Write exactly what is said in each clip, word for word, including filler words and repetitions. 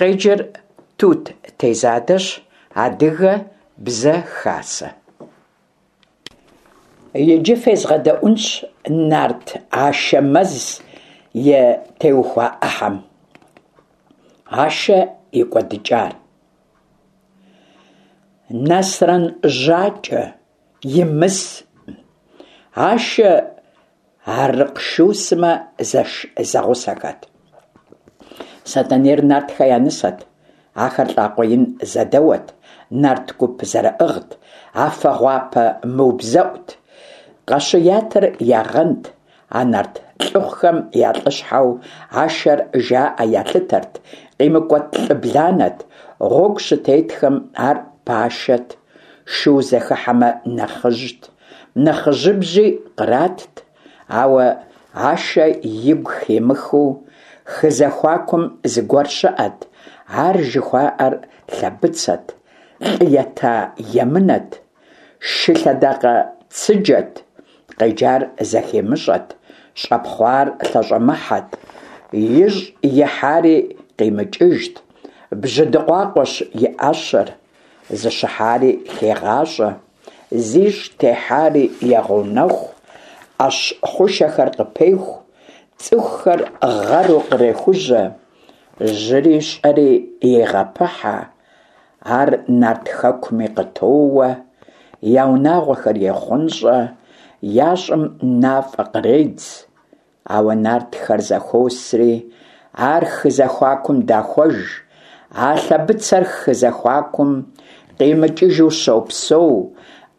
Къеджэр Тут Тезадэщ. Адыгэ Бзэ Хасэ. Иджы фезгъэдэӏуэнщ нарт Ашэмэз и теухуа ӏыхьэм. Ашэ и кӏуэдыкӏар. Насрэн Жьакӏэ, Имыс, Ашэ, Арыкъшу сымэ зэш-зэгъусэхэт. Сэтэнейр нартхэ я нысэт. Ахэр лӏакъуэ ин зэдэуэт, нарт гуп зэрыӏыгът, афэ гъуапэ мыубзэӏут, Къащыятэр я гъэнт, а нарт лӏыхъухэм я лӏыщхьэу Ашэр жаӏэ ялъытэрт, къимыкӏуэт лӏы бланэт, гъуэгу щытетхэм ар пашэт, шу зэхыхьэмэ нэхъыжьт, нэхъыжьыбжьи къратт. Ауэ Ашэ игу химыхыу хы зэхуакум зыгуэр щыӏэт, ар жыхуаӏэр Лъэбыцэт, лӏы ета емынэт, шы лъэдакъэ цыджэт, къеджар зэхимыщӏэт, щӏэпхъуар лъэщӏэмыхьэт, ищӏ ихьари къимыкӏыжт, бжьы дыкъуакъуэщ и ӏэщэр, зыщыхьари хегъащӏэ, зищӏ техьари егъэунэхъу, ӏэщ хъушэхэр къыпеху, цӏыхухэр гъэру кърехужьэ, жьыри щӏэри егъэпыхьэ, ар нарт хэкуми къытоуэ, я унагъуэхэр ехъунщӏэ, я щӏым мафӏэ къредз. Ауэ нартхэр зэхуосри, ар хы зэхуакум дахуэж, а Лъэбыцэр хы зэхуакум къимыкӏыжу щопсэу,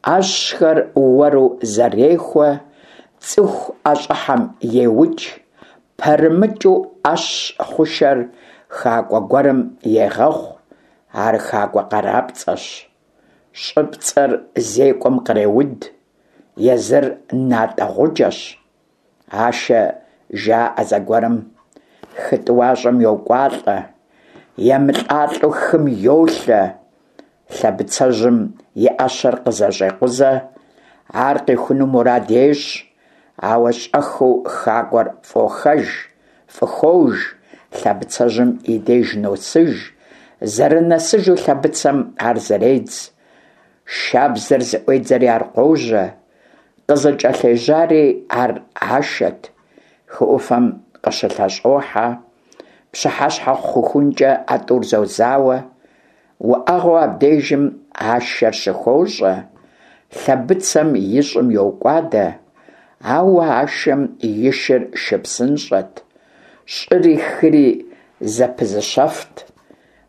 ӏэщхэр уэру зэрехуэ, цӏыху ӏэщӏыхьэм еукӏ, пэрымыкӏыу ӏэщ хъушэр хакӏуэ гуэрым егъэхъу, ар хакӏуэ къарапцӏэщ, щӏыпцӏэр зекӏуэм къреуд, езыр натӏэ гъуджэщ. Ашэ жаӏэ зэгуэрым хы тӏуащӏэм йокӏуалӏэ, емылӏалӏэу хым йолъэ, Лъэбыцэжьым и ӏэщэр къызэщӏекъузэ, ар къихуну мурад ещӏ, ауэ щӏэхыу хакӏуэр фӏохэж, фӏыхож, Лъэбыцэжьым и деж носыж, зэрынэсыжу Лъэбыцэм ар зэредз, шабзэр зыӏуедзэри ар къожьэ, къызыкӏэлъежьари ар Ашэт, хы ӏуфэм къыщылъэщӏохьэ, пщыхьэщхьэ хъухункӏэ а тӏур зозауэ, уӏэгъэу абдежым Ашэр щыхощӏэ, Лъэбыцэм и щӏым йокӏуадэ, ауэ Ашэм и шыр шы псынщӏэт, щӏыри хыри зэпызыщэфт,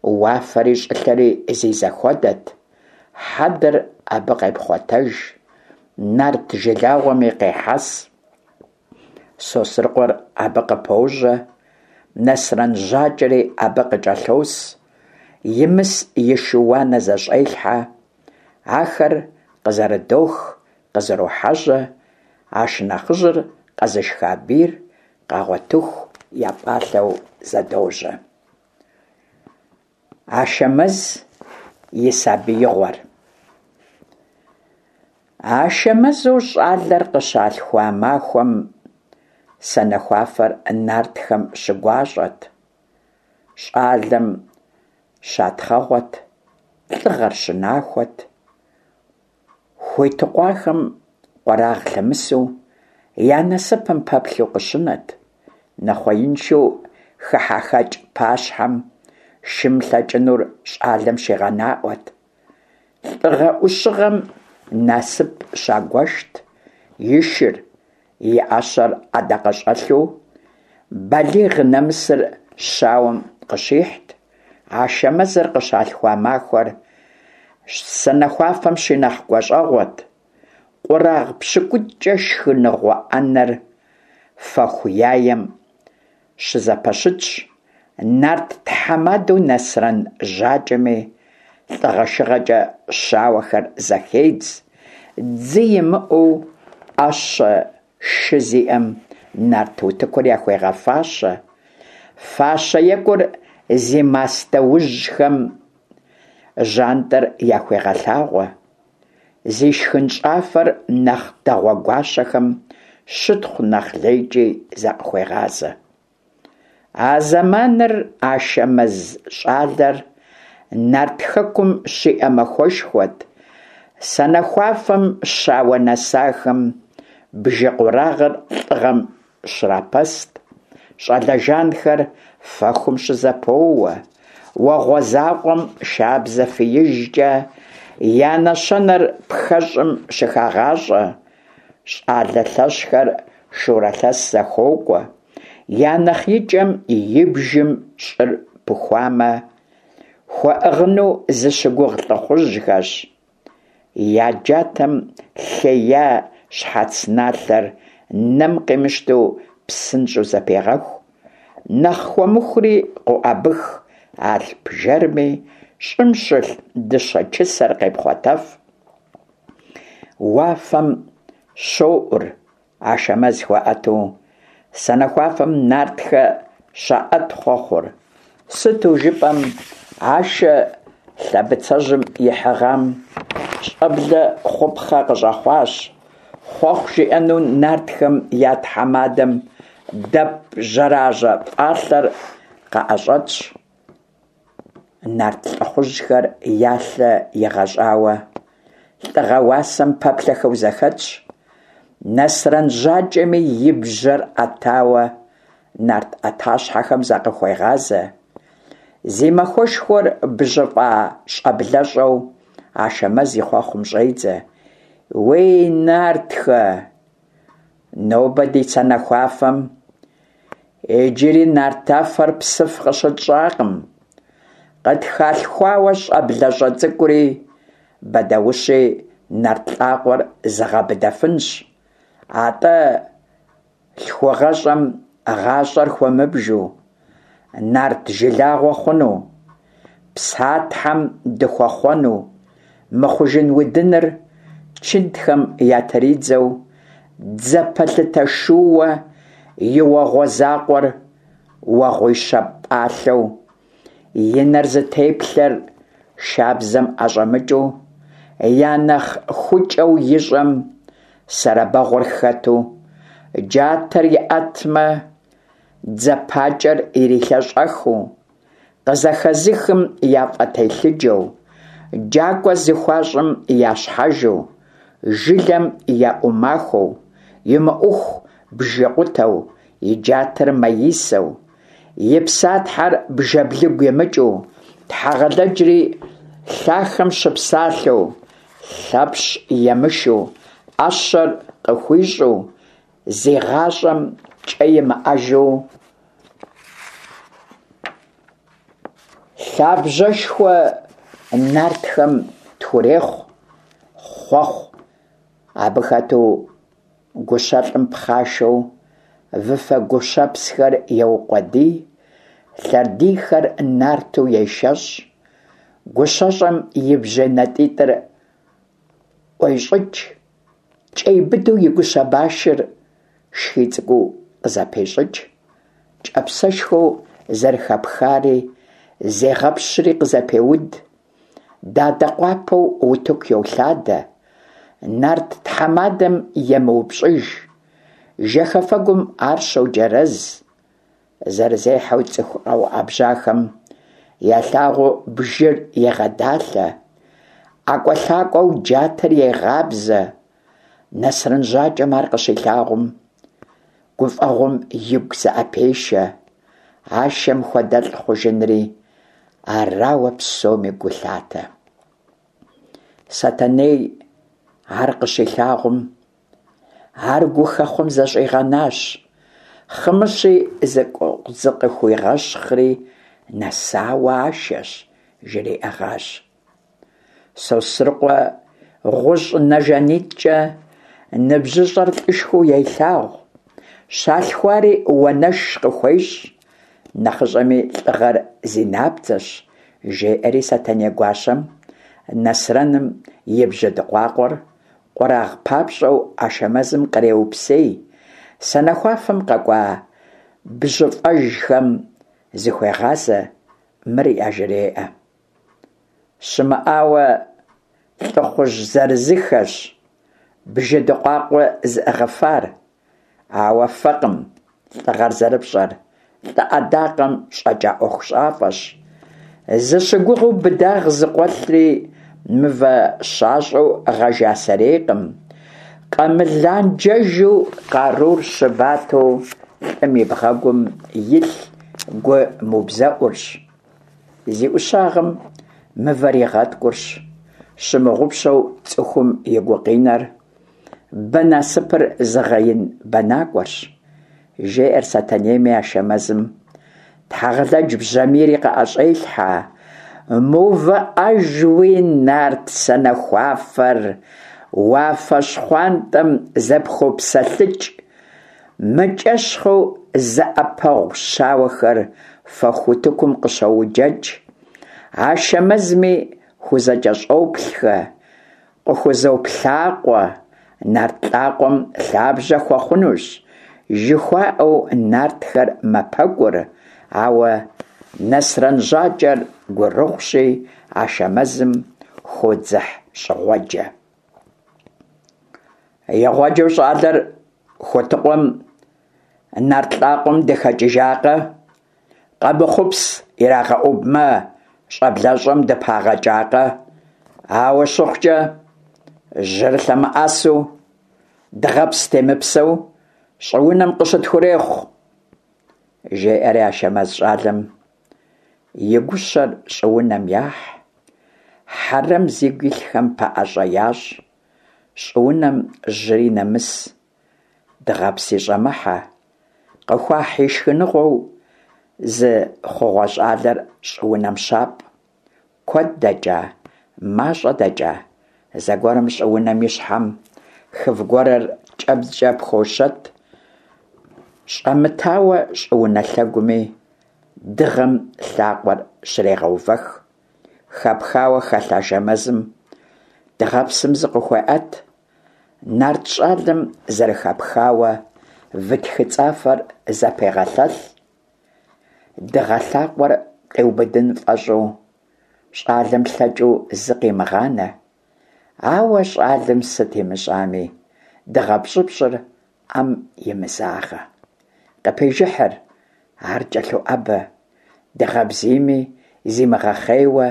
уафэри щӏылъэри зи зэхуэдэт, хьэдэр абы къепхъуэтэж, нарт жылагъуэми къехьэс. Сосрыкъуэр абы къыпожьэ, Насрэн Жьакӏэри абы къыкӏэлъос, Имыс и шы-уанэ зэщӏелъхьэ, ахэр къызэрыдох, къызэрохьэжьэ, а шынэхъыжьыр къэзышха бийр къагъуэтыху я пӏалъэу зэдожьэ. Ашэмэз и сабиигъуэр. Ашэмэзу щӏалэр къыщалъхуа махуэм санэхуафэр нартхэм щыгуащӏэт, щӏалэм щатхъэгъуэт, лӏыгъэр щынахуэт, хуитыкъуахэм къуэрагъ лъэмысу, я насыпым пэплъэу къыщынэт, нэхъуеиншэу хыхьэхэкӏ пащхьэм шым лъэкӏынур щӏалэм щигъэнаӏуэт, лӏыгъэ-ӏущыгъэм насып щагуэшт, и шыр, и ӏэщэр ӏэдакъэщӏэлъу, балигъ нэмысыр щауэм къыщихьт, Ашэмэзыр къыщалъхуа махуэр санэхуафэм щинэхъ гуащӏэгъуэт, къурагъ пщыкӏутӏкӏэ шхыныгъуэ ӏэнэр фэху яем щызэпэщытщ, нарт тхьэмадэу Насрэн Жьакӏэми лӏыгъэшыгъэкӏэ щауэхэр зэхедз, дзы имыӏэу ӏэщэ шы зиӏэм нарт утыкур яхуегъэфащэ, фащэ екӏур зи мастэужьхэм жьантӏэр яхуегъэлъагъуэ, зи шхынщӏафэр нэхъ дэгъуэ гуащэхэм щытхъу нэхъ лейкӏи закъыхуегъазэ. А зэманыр Ашэмэз щӏалэр Нарт Хэкум щиӏэ махуэшхуэт. Санэхуафэм щауэ нэсахэм бжы къурагъыр лӏыгъэм щрапэст, щӏалэ жанхэр фэхум щызэпоуэ, уэгъуэ закъуэм шабзэ фиижкӏэ я нэщэнэр пхэщӏым щыхагъащӏэ, щӏалэ лъэщхэр шурэ лъэс зэхуокӏуэ, я нэхъ икӏэм и бжым щӏыр пыхуамэ, хуэӏыгъыну зыщыгугъ лӏыхъужьхэщ. Я джатэм лъея щхьэц налъэр нэм къимыщтэу псынщӏэу зэпегъэху, нэхъ хуэмыхури къоӏэбых, алъп жэрми щӏым щылъ дыщэ чысэр къепхъуэтэф. Уафэм щоӏур Ашэмэз хуаӏэту, санэхуафэм нартхэ щаӏэт хъуэхъур. Сыту жыпӏэм, Ашэ лъэбыцэжьым ихьыгъам щӏэблэ хъупхъэ къыщӏэхъуащ. Хъуэхъу жиӏэну нартхэм я тхьэмадэм дэп жьэражьэ фӏалъэр къыӏэщӏэтщ. Нарт лӏыхъужьхэр я лъэ игъэщӏауэ, лӏыгъэ уасэм пэплъэхэу зэхэтщ. Нэсрэн Жьакӏэми и бжьэр ӏэтауэ нарт ӏэтащхьэхэм закъыхуегъазэ. Зи махуэшхуэр бжьыфӏа щӏэблэщӏэу Ашэмэз и хъуэхъум щӏедзэ. Уей, нартхэ! Нобэ ди санэхуафэм иджыри нартафэр псыф къыщытщӏакъым. Къытхалъхуауэ щӏэблэщӏэ цӏыкӏури бэдаущи нарт лӏакъуэр зыгъэбыдэфынщ. Атӏэ лъхугъэщӏэм гъащӏэр хуэмыбжу, нарт жылагъуэ хъуну, Псатхьэм дыхуэхъуэну, мыхъужын удыныр чынтхэм ятридзэу, дзэ пэлъытэ шууэ и уэгъуэ закъуэр уэгъуищэ пӏалъэу, и нэр зытеплъэр шабзэм ӏэщӏэмыкӏыу, я нэхъ хукӏэу ищӏэм сэрэбэгъуэр хэту, джатэр иӏэтмэ, дзэ пакӏэр ирилъэщӏэхыу, къызэхэзыхым яфӏэтелъыджэу, джакӏуэ зыхуащӏым я щхьэжу, жылэм я ӏумахуэу, имыӏуху бжы къутэу, и джатэр маисэу, и псатхьэр бжэблыгу имыкӏыу, Тхьэгъэлэджри лъахэм щыпсалъэу, Лъэпщ емышу, ӏэщэр къыхуищӏу, зи гъащӏэм кӏэ имыӏэжу, лъабжьэшхуэ нартхэм тхурехъу хъуэхъу. Абы хэту гущэлӏым пхъашэу выфэ гущэпсхэр еукъуэдий, лъэрдийхэр нарту ешэщӏ, гущэщӏэм и бжьей натӏитӏыр ӏуещӏыкӏ, кӏей быдэу и гущэ башыр шхий цӏыкӏуу къызэпещӏыкӏ, кӏапсэшхуэу зэрыхэпхари зегъэпщри къызэпеуд, дадэ къуапэу утыку йолъадэ, нарт тхьэмадэм емыупщӏыж, жэхэфэгум ар щоджэрэз, зэрызехьэу цӏыху къэуӏэбжьахэм ялъагъуу бжыр егъэдалъэ, ӏэкӏуэлъакӏуэу джатэр егъабзэ. Нэсрэн Жьакӏэм ар къыщилъагъум, гуфӏэгъуэм игу зыӏэпешэ, Ашэм хуэдэлӏ хъужынри арауэ псоми гу лъатэ. Сэтэней ар къыщилъагъум, ар гухэхъуэм зэщӏигъэнащ. Хъымыщи зыкъыхуигъэщхъри нэсауэ Ашэщ, жриӏэгъащ. Сосрыкъуэ гъущӏ нэ жанитӏкӏэ ныбжьыщӏэр лӏышхуэу елъагъу, щалъхуари уанэш къыхуещӏ, нэхъыщӏэми лӏыгъэр зи набдзэщ, жеӏэри Сэтэней гуащэм Нэсрэным и бжьы дыкъуакъуэр къурагъ папщӏэу Ашэмэзым къреупсей, санэхуафэм къэкӏуа бжьыфӏэжхэм зыхуегъазэ, мыр яжреӏэ. Щымыӏауэ лӏыхъужь зырызыххэщ бжы дыкъуакъуэ зыӏыгъыфар, ауэ фэкъым лӏыгъэр зэрыпщӏэр, лӏы ӏэдакъэм щӏэкӏа ӏуэхущӏафэщ. Зыщыгугъыу быдагъ зыкъуэлъри мывэ щащӏэу гъэжа сэрейкъым. Къэмыланджэжу къарур щыбатэу лӏым и бгъэгум илъ гу мыубзэӏурщ. Зи ӏущагъым мывэр игъэткӏурщ, щымыгъупщэу цӏыхум и гукъинэр, бэ насыпыр зыгъэин бэнакӏуэрщ. Жеӏэр Сэтэнейми Ашэмэзым Тхьэгъэлэдж бжьамийри къыӏэщӏелъхьэ. Мыувыӏэжуи нарт санэхуафэр уафэ щхъуантӏэм зэпхопсэлъыкӏ. Мыкӏэщхъыу зэӏэпэгъу щауэхэр фэху утыкум къыщоуджэкӏ. Ашэмэзми хузэкӏэщӏоплъхэ, къыхузоплъакъуэ, нарт лӏакъуэм лъабжьэ хуэхъунущ, жыхуаӏэу нартхэр мэпэкӏур, ауэ Нэсрэн Жьакӏэр гурыгъущи, Ашэмэзым хуодзыхьщӏыгъуэджэ. Игъуэджэу щӏалэр Хутыкъуэм нарт лӏакъуэм дыхэкӏыжакъэ? Къэмыхъупс ирагъэӏубмэ, щӏэблэщӏэм дыпагъэкӏакъэ? Ауэ щыхъукӏэ, жьыр лъэмыӏэсу, дыгъэпс темыпсэу щӏыунэм къыщытхурехъу, жеӏэри Ашэмэз щӏалэм и гущэр щӏыунэм яхь, хьэрэм зигу илъхэм пэӏэщӏэ ящӏ, щӏыунэм жьыри нэмыс, дыгъэпси щӏэмыхьэ, къыхуахь и шхыныгъуэу зы хъугъуэ щӏалэр щӏыунэм щапӏ. Куэд дэкӏа, мащӏэ дэкӏа, зэгуэрым щӏыунэм и щхьэм хыв гуэрыр кӏэбдзкӏэ пхощэт, щӏэмытауэ щӏыунэ лъэгуми дыгъэм лъакъуэр щрегъэувэх. Хэпхауэ хэлъ Ашэмэзым дыгъэпсым зыкъыхуеӏэт. Нарт щӏалэм зэрыхэпхауэ вы тхыцӏафэр зэпегъэлъэлъ. Дыгъэ лъакъуэр къиубыдын фӏэщӏу, щӏалэм лъэкӏыу зы къимыгъанэ. Ауэ щӏалэм сыт имыщӏами, дыгъэ пщӏыпщӏыр ӏэм имызагъэ. Къыпежыхьыр, ар кӏэлъоӏэбэ. Дыгъэ бзийми зимыгъэхъейуэ,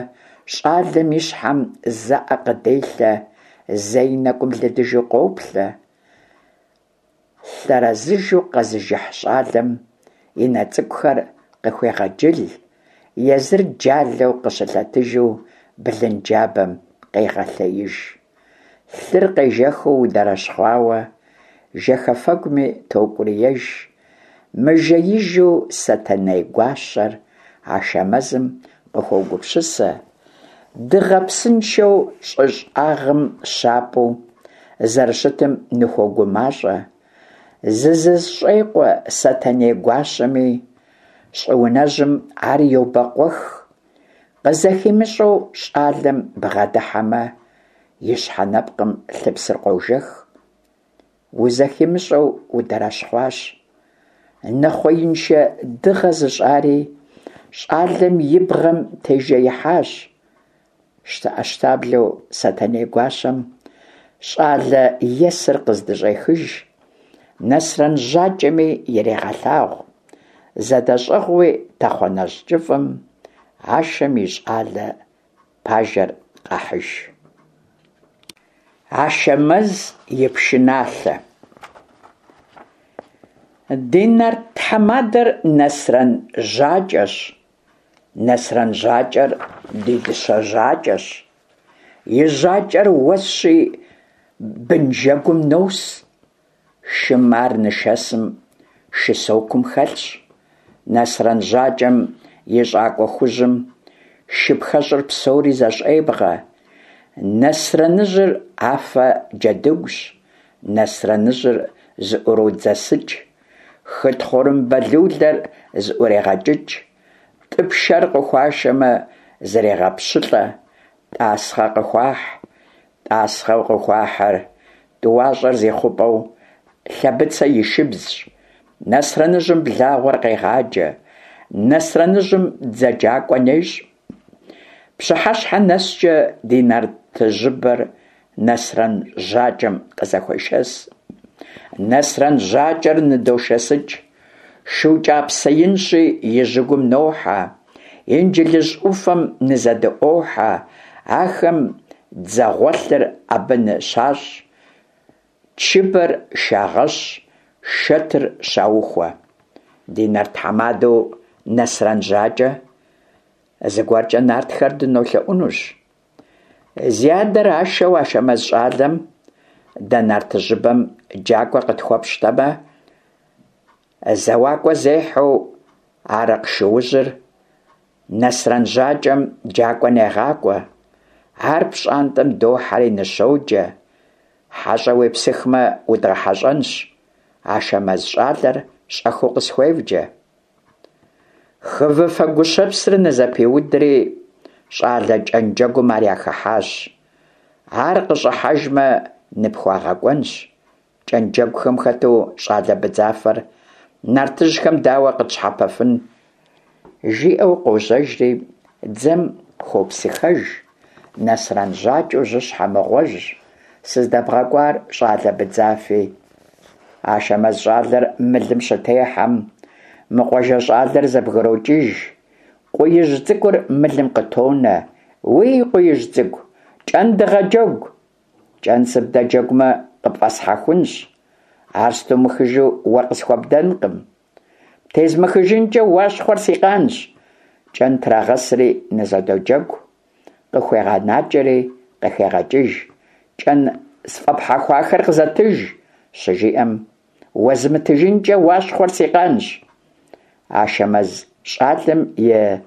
щӏалэм и щхьэм зэ ӏэ къыделъэ, зэ и нэкӏум лыдыжу къоплъэ. Лъэрэзыжу къэзыжыхь щӏалэм и нэ цӏыкӏухэр къыхуегъэджыл, езыр джалэу къыщылъэтыжу блынджабэм къегъэлъеиж. Лъыр къежэхыу ундэрэщхъуауэ, жэхэфэгуми токӏуриеж. Мыжеижу Сэтэней гуащэр Ашэмэзым къыхуогупсысэ, дыгъэпсыншэу щӏы щӏагъым щапӏу зэрыщытым ныхуогумащӏэ. Зызэщӏекъуэ Сэтэней гуащэми, щӏыунэжьым ар йобэкъуэх. Къызэхимыщӏэу щӏалэм бгъэдыхьэмэ, и щхьэ нэпкъым лъыпсыр къожэх. Узэхимыщӏэу ундэрэщхъуащ. Нэхъуеиншэ дыгъэ зыщӏари щӏалэм и бгъэм тежеихьащ. Щтэӏэщтаблэу Сэтэней гуащэм щӏалэ есыр къыздыщӏехыж, Нэсрэн Жьакӏэми ирегъэлъагъу. Зэдэщӏыгъууи тэхъуанэщӏ кӏыфӏым Ашэм и щӏалэ пажэр къахьыж. Ашэмэз и пшыналъэ. Ди нарт тхьэмадэр Нэсрэн Жьакӏэщ. Нэсрэн Жьакӏэр ди дыщэ жьакӏэщ. И жьакӏэр уэсщи, бынжэгум нос. Шым ар нышэсым, шы сокум хэлъщ. Нэсрэн Жьакӏэм и щӏакӏуэ хужьым шыпхэщӏыр псори зэщӏебгъэ. Нэсрэныжьыр афэ джэдыгущ. Нэсрэныжьыр зыӏуродзэсыкӏ. Хы тхъурымбэ лулэр зыӏурегъэкӏыкӏ. Тӏы пшэр къыхуашэмэ, зрегъэпщылӏэ. Тӏасхъэ къыхуахь. Тӏасхъэу къыхуахьыр тӏуащӏэр зи хъупӏэу Лъэбыцэ и шыбзщ. Нэсрэныжьым благъуэр къегъаджэ. Нэсрэныжьым дзэджакӏуэ нещӏ. Пщыхьэщхьэ нэскӏэ ди нартыжьыбэр Нэсрэн Жьакӏэм къызэхуешэс. Нэсрэн Жьакӏэр ныдошэсыкӏ. Шу кӀапсэ инщи, и жьэгум нохьэ, Инджылыз Ӏуфэм нызэдыӀуохьэ. Ахэм дзэгъуэлъыр абы ныщащӀ, чыбэр шагъэщӀ, шэтыр щаухуэ. Ди нарт тхьэмадэу Нэсрэн ЖьакӀэ, зыгуэркӀэ нартхэр дынолъэӀунущ. Зи адэр Ашэу Ашэмэз щӀалэм, дэ нартыжьыбэм джакӀуэ къытхуэпщтэмэ, зэуакӀуэ зехьэу Арыкъ шуужьыр Нэсрэн ЖьакӀэм джакӀуэ негъакӀуэ. Ар пщӀантӀэм дохьэри ныщоджэ. ХьэщӀэ уепсыхмэ, удгъэхьэщӀэнщ. Ашэмэз щӀалэр щӀэхыу къысхуевджэ. Хывыфэ гущэпсыр нызэпиудри, щӀалэ кӀэнджэгум ар яхыхьащ. Ар къыщӀыхьэжмэ, ныпхуагъэкӀуэнщ. КӀэнджэгухэм хэту щӀалэ быдзафэр нартыжьхэм дауэ къытщхьэпэфын? Жиӏэу къожьэжри дзэм хуопсыхэж. Нэсрэн Жьакӏэу жьыщхьэ мыгъуэжь, сыздэбгъэкӏуар щӏалэ быдзафи. Ашэмэз щӏалэр мылым щытехьэм, мы къуажэ щӏалэр зэбгрокӏыж. Къуиижь Цӏыкӏур мылым къытонэ. Уий, Къуиижь Цӏыкӏу, кӏэн дыгъэджэгу! Кӏэн сыбдэджэгумэ, къыпфӏэсхьэхунщ. Ар стумыхыжу уэ къысхуэбдэнкъым. Птезмыхыжынкӏэ Уащхъуэр си къанщ. Кӏэн трагъэсри нызэдоджэгу, къыхуегъэнакӏэри къыхегъэкӏыж. Кӏэн сфӏэпхьэхуахэр къызэтыж, щыжиӏэм, уэзмытыжынкӏэ Уащхъуэр си къанщ. Ашэмэз щӏалэм и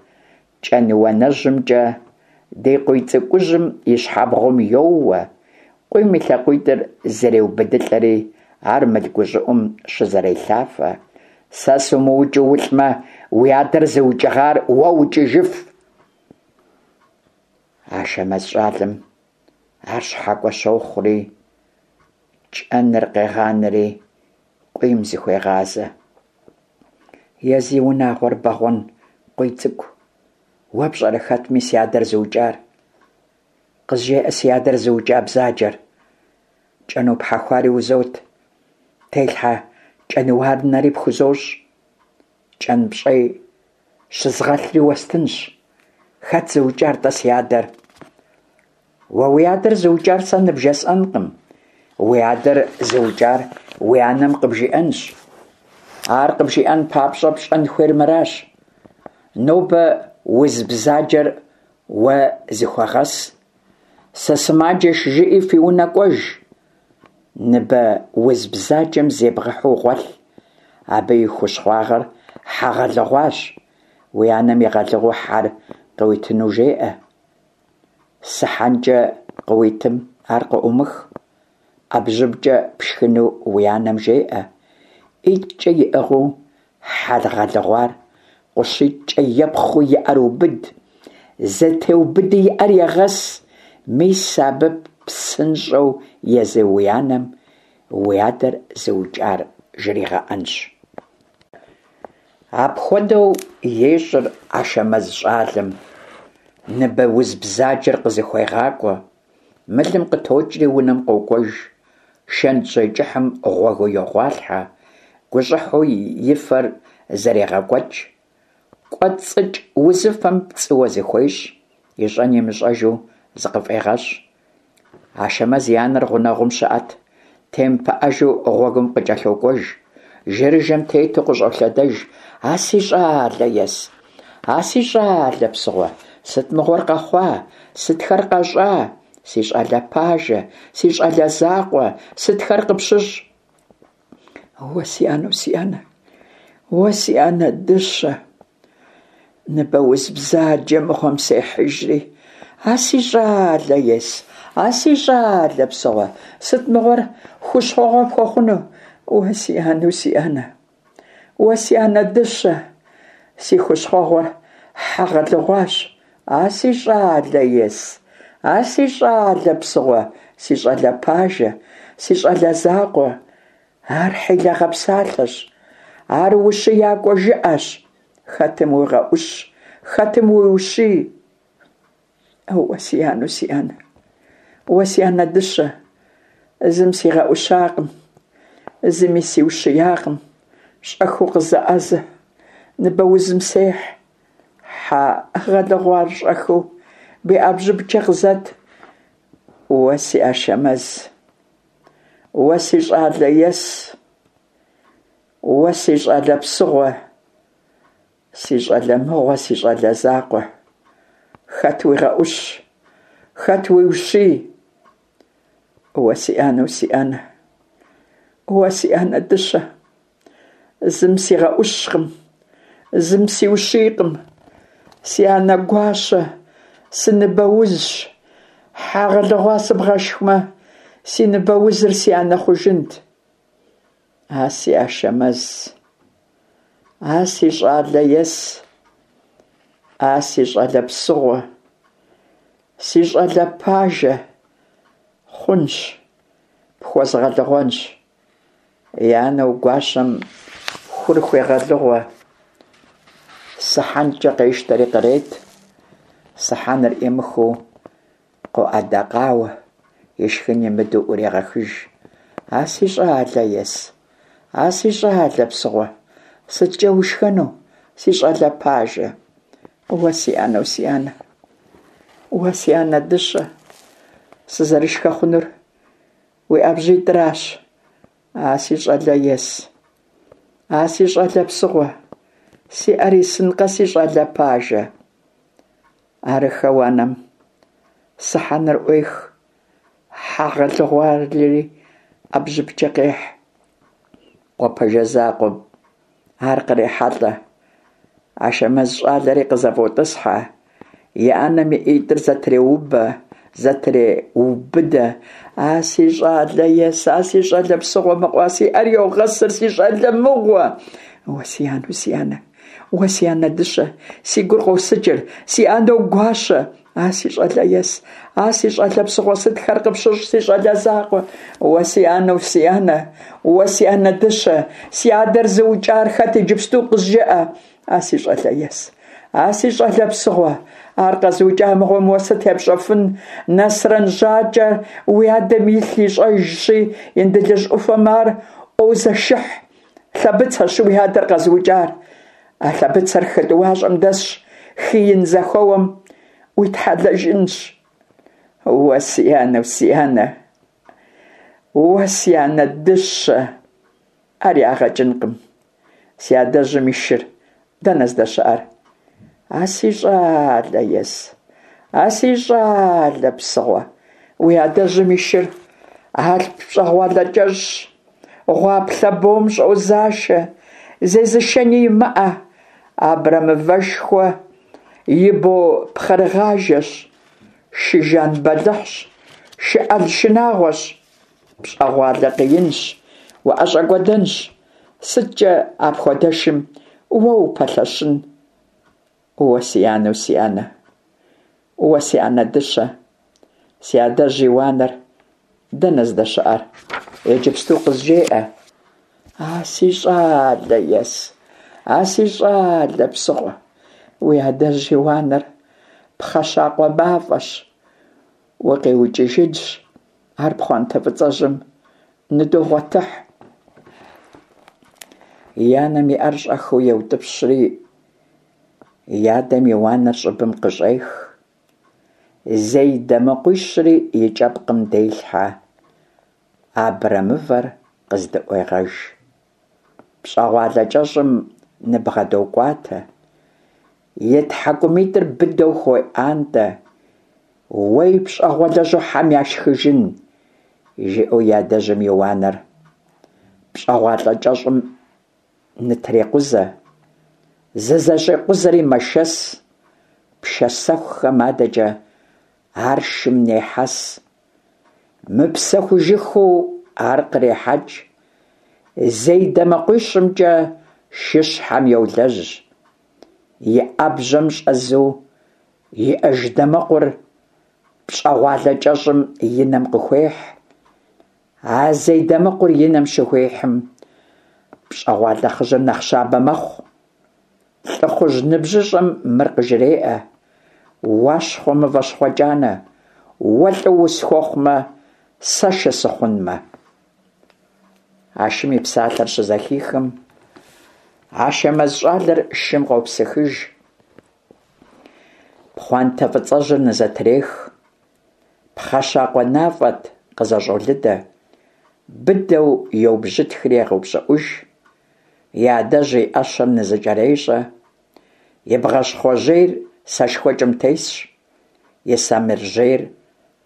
кӏэнуанэжьымкӏэ ди Къуийцӏыкӏужьым и щхьэбгъум йоуэ, къуийм и лъакъуитӏыр зэреубыдылӏэри, ар мыл гущӏыӏум щызэрелъафэ. Сэ сумыукӏыу улӏмэ, уи адэр зыукӏыгъар уэ укӏыжыф. Ашэмэз щӏалэм ар щхьэкӏуэ щохъури, кӏэныр къегъанэри къуийм зыхуегъазэ. Е зи унагъуэр бэгъуэн Къуийцӏыкӏу, уэ пщӏэрэ хэтми си адэр зыукӏар? Къызжеӏэ си адэр зыукӏа бзаджэр. Кӏэну пхьэхуари узот, телъхьэ кӏэнуанэри пхузощӏ, кӏэн пщӏей щызгъэлъри уэстынщ. Хэт зыукӏар-тӏэ си адэр? Уэ уи адэр зыукӏар сэ ныбжесӏэнкъым. Уи адэр зыукӏар уи анэм къыбжиӏэнщ. Ар къыбжиӏэн папщӏэ пщӏэн хуейр мыращ. Нобэ уз бзаджэр уэ зыхуэгъэс. Сысымаджэщ жыӏи фи унэ кӏуэж. Ныбэ уз бзаджэм зебгъэхьу гъуэлъ. Абы и хущхъуэгъуэр хьэ гъэлыгъуащ. Уи анэм игъэлыгъуэу хьэр къыуитыну жеӏэ. Сыхьэнкӏэ къыуитым ар къыӏыумых. Ӏэбжьыбкӏэ пшхыну уи анэм жеӏэ. ӀитӀкӀэ иӀыгъыу хьэ гъэлыгъуар къущитӀкӀэ епхъуи и Ӏэр убыд. Зэтеубыди и Ӏэр егъэс. Мис абы псынщӀэу езы уи анэм уи адэр зыукӀар жригъэӀэнщ. Апхуэдэу ещӀыр Ашэмэз щӀалэм. Ныбэ уз бзаджэр къызыхуегъакӀуэ. Мылым къытокӀри унэм къокӀуэж. Шэнтжьей кӀыхьым гъуэгыу йогъуалъхьэ, гущӀыхьу и фэр зэрегъэкӀуэкӀ. КӀуэцӀыкӀ узыфэм пцӀыуэ зыхуещӀ, ищӀэн имыщӀэжу зыкъыфӀегъэщӀ. Ашэмэз и анэр гъунэгъум щыӀэт, темыпыӀэжу гъуэгум къыкӀэлъокӀуэж. Жэрыжэм тету къыщӀолъэдэж. А си щӀалэ ес, а си щӀалэ псыгъуэ, сыт мыгъуэр къэхъуа, сытхэр къэщӀа? Си щӀалэ пажэ, си щӀалэ закъуэ, сытхэр къыпщыщӀ? Уэ си анэу си анэ, уэ си анэ дыщэ, ныбэ уз бзаджэ мыгъуэм сехьыжри. А си щӀалэ ес, а си щӀалэ псыгъуэ, сыт мыгъуэр хущхъуэгъуэ пхуэхъуну? Уэ си анэу си анэ, уэ си анэ дыщэ, си хущхъуэгъуэр хьэ гъэлыгъуащ. А си щӀалэ ес, а си щӀалэ псыгъуэ, си щӀалэ пажэ, си щӀалэ закъуэ, ар хьилагъэ псалъэщ, ар ущиякӀуэ жыӀэщ. Хэтым уигъэӀущ, хэтым уиущий. Уэ си анэу си анэ, уэ си анэ дыщэ, зым сигъэӀущакъым, зыми сиущиякъым. Щӏэхыу къызэӏэзэ, ныбэузым сехь. Хьэ гъэлыгъуар щӏэхыу уи ӏэбжьыбкӏэ къызэт. Уэ си Ашэмэз, уэ си щӏалэ ес, уэ си щӏалэ псыгъуэ, си щӏалэ мыгъуэ, си щӏалэ закъуэ. Хэт уигъэӏущ, хэт уиущий? Уэ си анэу си анэ, уэ си анэ дыщэ, зым сигъэӏущкъым, зым сиущийкъым. Си анэ гуащэ, сыныбэузщ. Хьэ гъэлыгъуа сыбгъэшхмэ, си ныбэузыр си анэ хъужынт. А си Ашэмэз, а си щӏалэ ес, а си щӏалэ псыгъуэ, си щӏалэ пажэ, хъунщ, пхуэзгъэлыгъуэнщ. И анэу гуащэм хур хуегъэлыгъуэ. Сыхьэнкӏэ къещтэри кърет. Сыхьэныр ӏимыхыу къоӏэдэкъауэ, ишхын имыдэу ӏурегъэхыж. А си щӏалэ ес, а си щӏалэ псыгъуэ, сыткӏэ ушхэну, си щӏалэ пажэ? Уэ си анэу си анэ, уэ си анэ дыщэ, сызэрышхэ хъунур уи ӏэбжьитӏыращ. А си щӏалэ ес, а си щӏалэ псыгъуэ, си ӏэр исынкъэ, си щӏалэ пажэ. Арыххэу анэм сыхьэныр ӏуех, хьэ гъэлыгъуари ӏэбжьыбкӏэ къехь. Къуэ пэжэ закъуэм ар кърехьэлӏэ. Ашэмэз щӏалэри къызэфӏотӏысхьэ. И анэм и ӏитӏыр зэтреубэ, зэтреубыдэ. А си щӏалэ ес, а си щӏалэ псыгъуэ мыгъуэ, си ӏэр йогъэсыр, си щӏалэ мыгъуэ. Уэ си анэу си анэ, уэ си анэ дыщэ, си гур къосыкӏыр, си анэу гуащэ. А си щӏалэ ес, а си щӏалэ псыгъуэ, сытхэр къыпщыщӏ, си щӏалэ закъуэ. Уэ си анэу си анэ, уэ си анэ дыщэ, си адэр зыукӏар хэт иджыпсту къызжыӏэ. А си щӏалэ ес, а си щӏалэ псыгъуэ, ар къэзыукӏа мыгъуэм уэ сыт епщӏэфын? Нэсрэн Жьакӏэ уи адэм илъ ищӏэжщи, Индылыжь ӏуфэм ар ӏуозэшыхь. Лъэбыцэщ уи адэр къэзыукӏар. А лъэбыцэр хы тӏуащӏэм дэсщ, хы ин зэхэуэм уитхьэлэжынщ. Уэ си анэу си анэ, уэ си анэ дыщэ, ар ягъэкӏынкъым. Си адэжьым и шыр дэнэ здэщыӏэр? А си щӏалэ ес, а си щӏалэ псыгъуэ, уи адэжьым и шыр алъп пщӏэгъуалэ кӏэщӏщ, гъуаплъэ бом щӏозашэ, зезышэни имыӏэ, абрэмывэшхуэ и бо пхъэрыгъажэщ, шы жан бэлыхьщ, шы ӏэл шынагъуэщ, пщӏэгъуалэ къиинщ, уӏэщӏэкӏуэдэнщ. Сыткӏэ апхуэдэшым уэ упэлъэщын? Уэ си анэу си анэ, уэ си анэ дыщэ, си адэжь и уанэр дэнэ здэщыӏэр? Иджыпсту къызжеӏэ. А си щӏалэ ес, а си щӏалэ псыгъуэ, уи адэжь и уанэр пхъэщакъуэ мафӏэщ, укъиукӏыжынщ, ар пхъуантэ фӏыцӏэжьым ныдогъуэтыхь. И анэм и ӏэр щӏэхыу еутӏыпщри, и адэм и уанэр щӏыбым къыщӏех. Зей дамэкъуищри и кӏэпкъым делъхьэ, абрэмывэр къыздыӏуегъэж. Пщӏэгъуалэ кӏэщӏым ныбгъэдокӏуатэ, и тхьэкӏумитӏыр быдэу хуеӏуантӏэ. Уей пщӏэгъуалэжьу хьэм яшхыжын, жиӏэу и адэжьым и уанэр пщӏэгъуалэ кӏэщӏым нытрекъузэ. Зызэщӏекъузэри мэшэс, пшэсэхухэм адэкӏэ ар шым нехьэс. Мыпсэхужыххэу ар кърехьэкӏ, зей дамэкъуищымкӏэ шыщхьэм йолэжь. И ӏэбжьэм щӏэзу иӏэж дамэкъур пщӏэгъуалэ кӏэщӏым и нэм къыхуехь. А зей дамэкъур и нэм щыхуихьым, пщӏэгъуалэ хъыжьэр нэхъ щабэ мэхъу. Лӏыхъужь ныбжьыщӏэм мыр къыжреӏэ: Уащхъуэ мыващхъуэ кӏанэ, уэ лӏы усхуэхъумэ, сэ шы сыхъунмэ. А шым и псалъэр щызэхихым, Ашэмэз щӏалэр шым къопсыхыж, Пхъуантэ фӏыцӏэжьыр нызэтрех, Пхъэщакъуэ нафӏэт къызэщӏолыдэ, Быдэу еубжьытхри егъэупщӏыӏуж, И адэжь и ӏэщэр нызэкӏэрещӏэ, И бгъащхъуэжьейр сэшхуэкӏым тесщ, И самыржьейр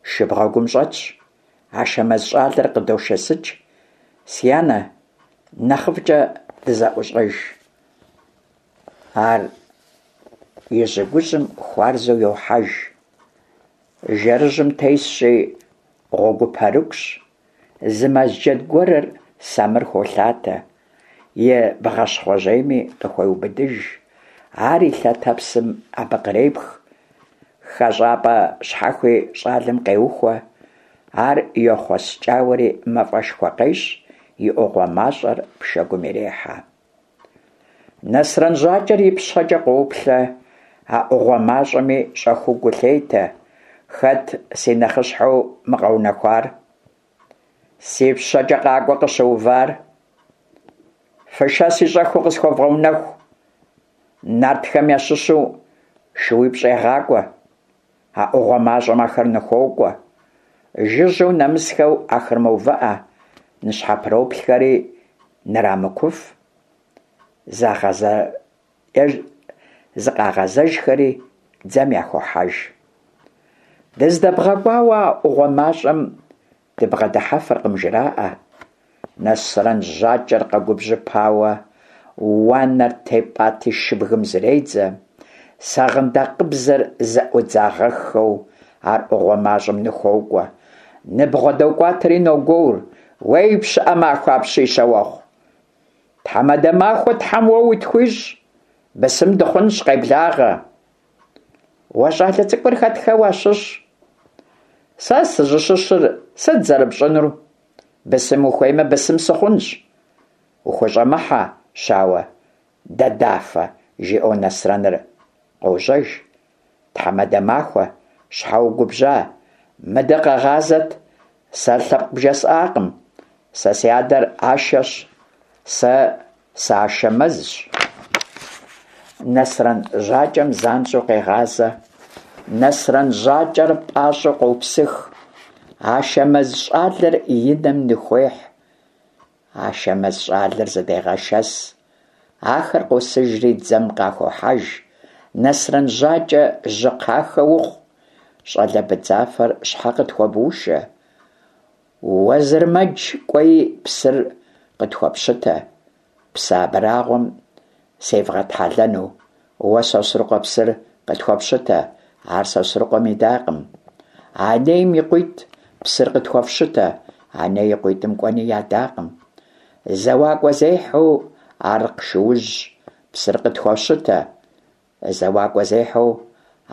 шыбгъэгум щӏэтщ. Ашэмэз щӏалэр къыдошэсыкӏ: «Си анэ, нэхъыфӏкӏэ дызэӏущӏэж». Ар и жьэгужьым хуарзэу йохьэж. Жэрыжьым тесщи, гъуэгупэрыкӏущ. Зы мэз джэд гуэрыр самыр холъатэ, И бгъащхъуэжьейми къыхуеубыдыж. Ар и лъэтэпсым абы кърепх, ХэщӀапӀэ щхьэхуи щӀалэм къеухуэ. Ар йохъуэскӀауэри мафӀэшхуэ къещӀ, И Ӏугъуэ мащӀэр пшэгум ирехьэ. Нэсрэн Жьакӏэр ипщэкӏэ къоплъэ, А ӏугъуэ мащӏэми щӏэхыу гу лъетэ: Хэт си нэхъыщхьэу мы къэунэхуар? Си пщэкӏэ къакӏуэу къыщыувар? Фышэси щӏэхыу къысхуэвгъэунэху. Нартхэм ящыщу шууипщӏ егъакӏуэ. А ӏугъуэ мащӏэм ахэр ныхуокӏуэ. Жыжьэу нэмысхэу ахэр мэувыӏэ, ныщхьэпроплъхэри нырамыкуф. Зыкъагъэзэжхэри дзэм яхохьэж. Дыздэбгъэкӏуауэ а ӏугъуэ мащӏэм дыбгъэдыхьэфыркъым, жраӏэ. Нэсрэн Жьакӏэр къэгубжьыпауэ, уанэр тепӏати шыбгым зредзэ, Сагъындакъыбзэр зэӏудзагъэххэу ар ӏугъуэ мащӏэм ныхуокӏуэ. Ныбгъэдокӏуатэри ногуор: «Уей, пщыӏэ махуэ апщий, щауэхъу! Тхьэмадэ махуэ тхьэм уэ утхуищӏ, бысым дыхъунщ, къеблагъэ! Уэ щӏалэ цӏыкӏур хэтхэ уащыщ? Сэ сызыщыщыр сыт зэрыпщӏынур? Бысым ухуеймэ, бысым сыхъунщ. Ухущӏэмыхьэ, щауэ дадафэ, жиӏэу Нэсрэныр къожьэж. Тхьэмадэ махуэ, щхьэ угубжьа? Мыдэ къэгъазэт, сэ лъэпкъ бжесӏакъым. Сэ си адэр Ашэщ, сэ сы-Ашэмэзщ. Нэсрэн Жьакӏэм занщӏэу къегъазэ. Нэсрэн Жьакӏэр пӏащӏэу къопсых. Ашэмэз щӏалэр и нэм ныхуехь. Ашэмэз щӏалэр зыдегъэшэс. Ахэр къосыжри дзэм къахохьэж. Нэсрэн Жьакӏэ жьы кхъахэ ухъу, щӏалэ быдзафэр щхьэ къытхуэбушэ? Уэзырмэдж кӏуэи псыр къытхуэпщытэ, псы абрагъуэм севгъэтхьэлэну. Уэ, Сосрыкъуэ, псыр къытхуэпщытэ. Ар Сосрыкъуэм идакъым. Анейм и къуитӏ, псыр къытхуэфщытэ. Аней и къуитӏым кӏуэни ядакъым. Зэуакӏуэ зехьэу Арыкъ шуужь, псыр къытхуэфщытэ. Зэуакӏуэ зехьэу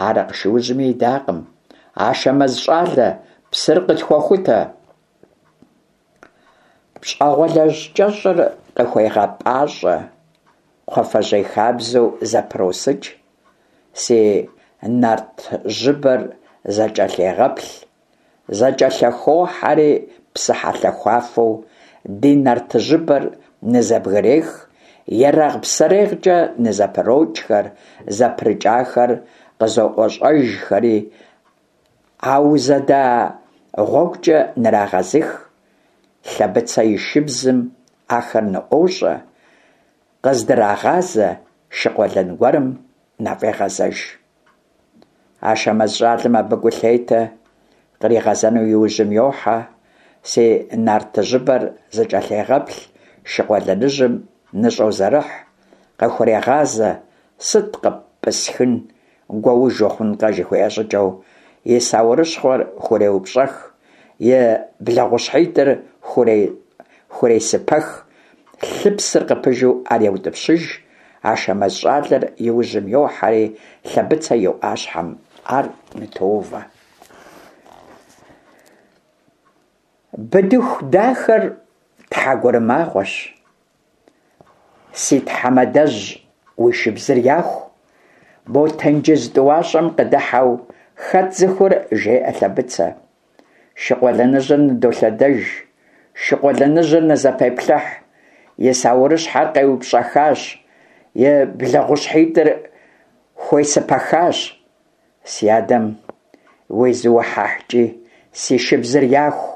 Арыкъ шуужьми идакъым. Ашэмэз щӏалэ, псыр къытхуэхутэ. ПщӀэгъуэлэжь кӀэщӀыр къыхуегъэпӀащӀэ, Кхъуафэжьей хабзэу зэпросыкӀ, Си нартыжьыбэр зэкӀэлъегъэплъ, ЗэкӀэлъыхохьэри псыхьэлъэхуафэу Ди нартыжьыбэр нызэбгырех, Ерагъ-псэрегъкӀэ нызэпрокӀхэр, ЗэпрыкӀахэр къызоӀуэщӀэжхэри, Аузэда гъуэгукӀэ нырагъэзых. Лъэбыцэ и шыбзым ахэр ныӀуощӀэ, Къыздрагъазэ шы къуэлэн гуэрым нафӀегъэзэж. Ашэмэз щӏалэм абы гу лъетэ, Къригъэзэну и ужьым йохьэ. Си нартыжьыбэр зэкӀэлъегъэплъ, Шы къуэлэныжьым ныщӀозэрыхь, Къыхурегъазэ: «Сыт къыппысхын, гуэуж ухъункъэ», жыхуиӀэ щӀыкӀэу, и саурыщхъуэр хуреупщӀэх, и блэгъущхьитӀыр хуресыпэх, лъыпсыр къыпыжу ар еутӀыпщыж. Ашэмэз щӀалэр и ужьым йохьэри Лъэбыцэ и Ӏуащхьэм ар нытоувэ. Быдыху дахэр тхьэгурымагъуэщ. Си тхьэмадэжь, уи шыбзыр яху. Мо тенджыз тӀуащӀэм къыдыхьэу хэт зыхур? жеӀэ Лъэбыцэ. Шы къуэлэныжьыр ныдолъэдэж, шы къуэлэныжьыр нызэпеплъыхь, И саурыщхьэр къеупщӀэхащ. и блэгъущхьитӏыр хуесыпэхащ. Си адэм уезыухьэхькӏи, си шыбзыр яху.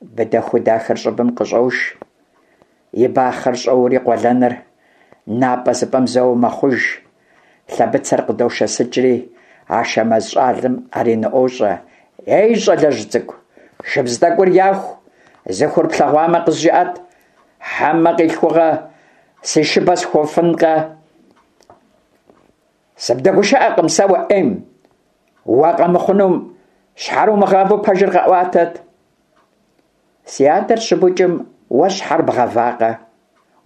Быдэху дахэр щӏыбым къыщӏож, и бахъэр щӏоури къуэлэныр напӏэзыпӏэм зэуэ мэхъуж. Лъэбыцэр къыдошэсыкӏри, Ашэмэз щӏалэм ари ныӏуощӏэ. Ей, щӏалэжь цӏыкӏу, шыбз тӏэкӏур яху, зыхур плъэгъуамэ къызжыӏэт, хьэмэ къилъхугъэ си шыбэ схуэфынкъэ? Сыбдэгушыӏэкъым сэ уэ ӏейм, уэ къэмыхъунум щхьэр умыгъавэу пэжыр къэӏуатэт. Си адэр щыбукӏым уэ щхьэр бгъэвакъэ?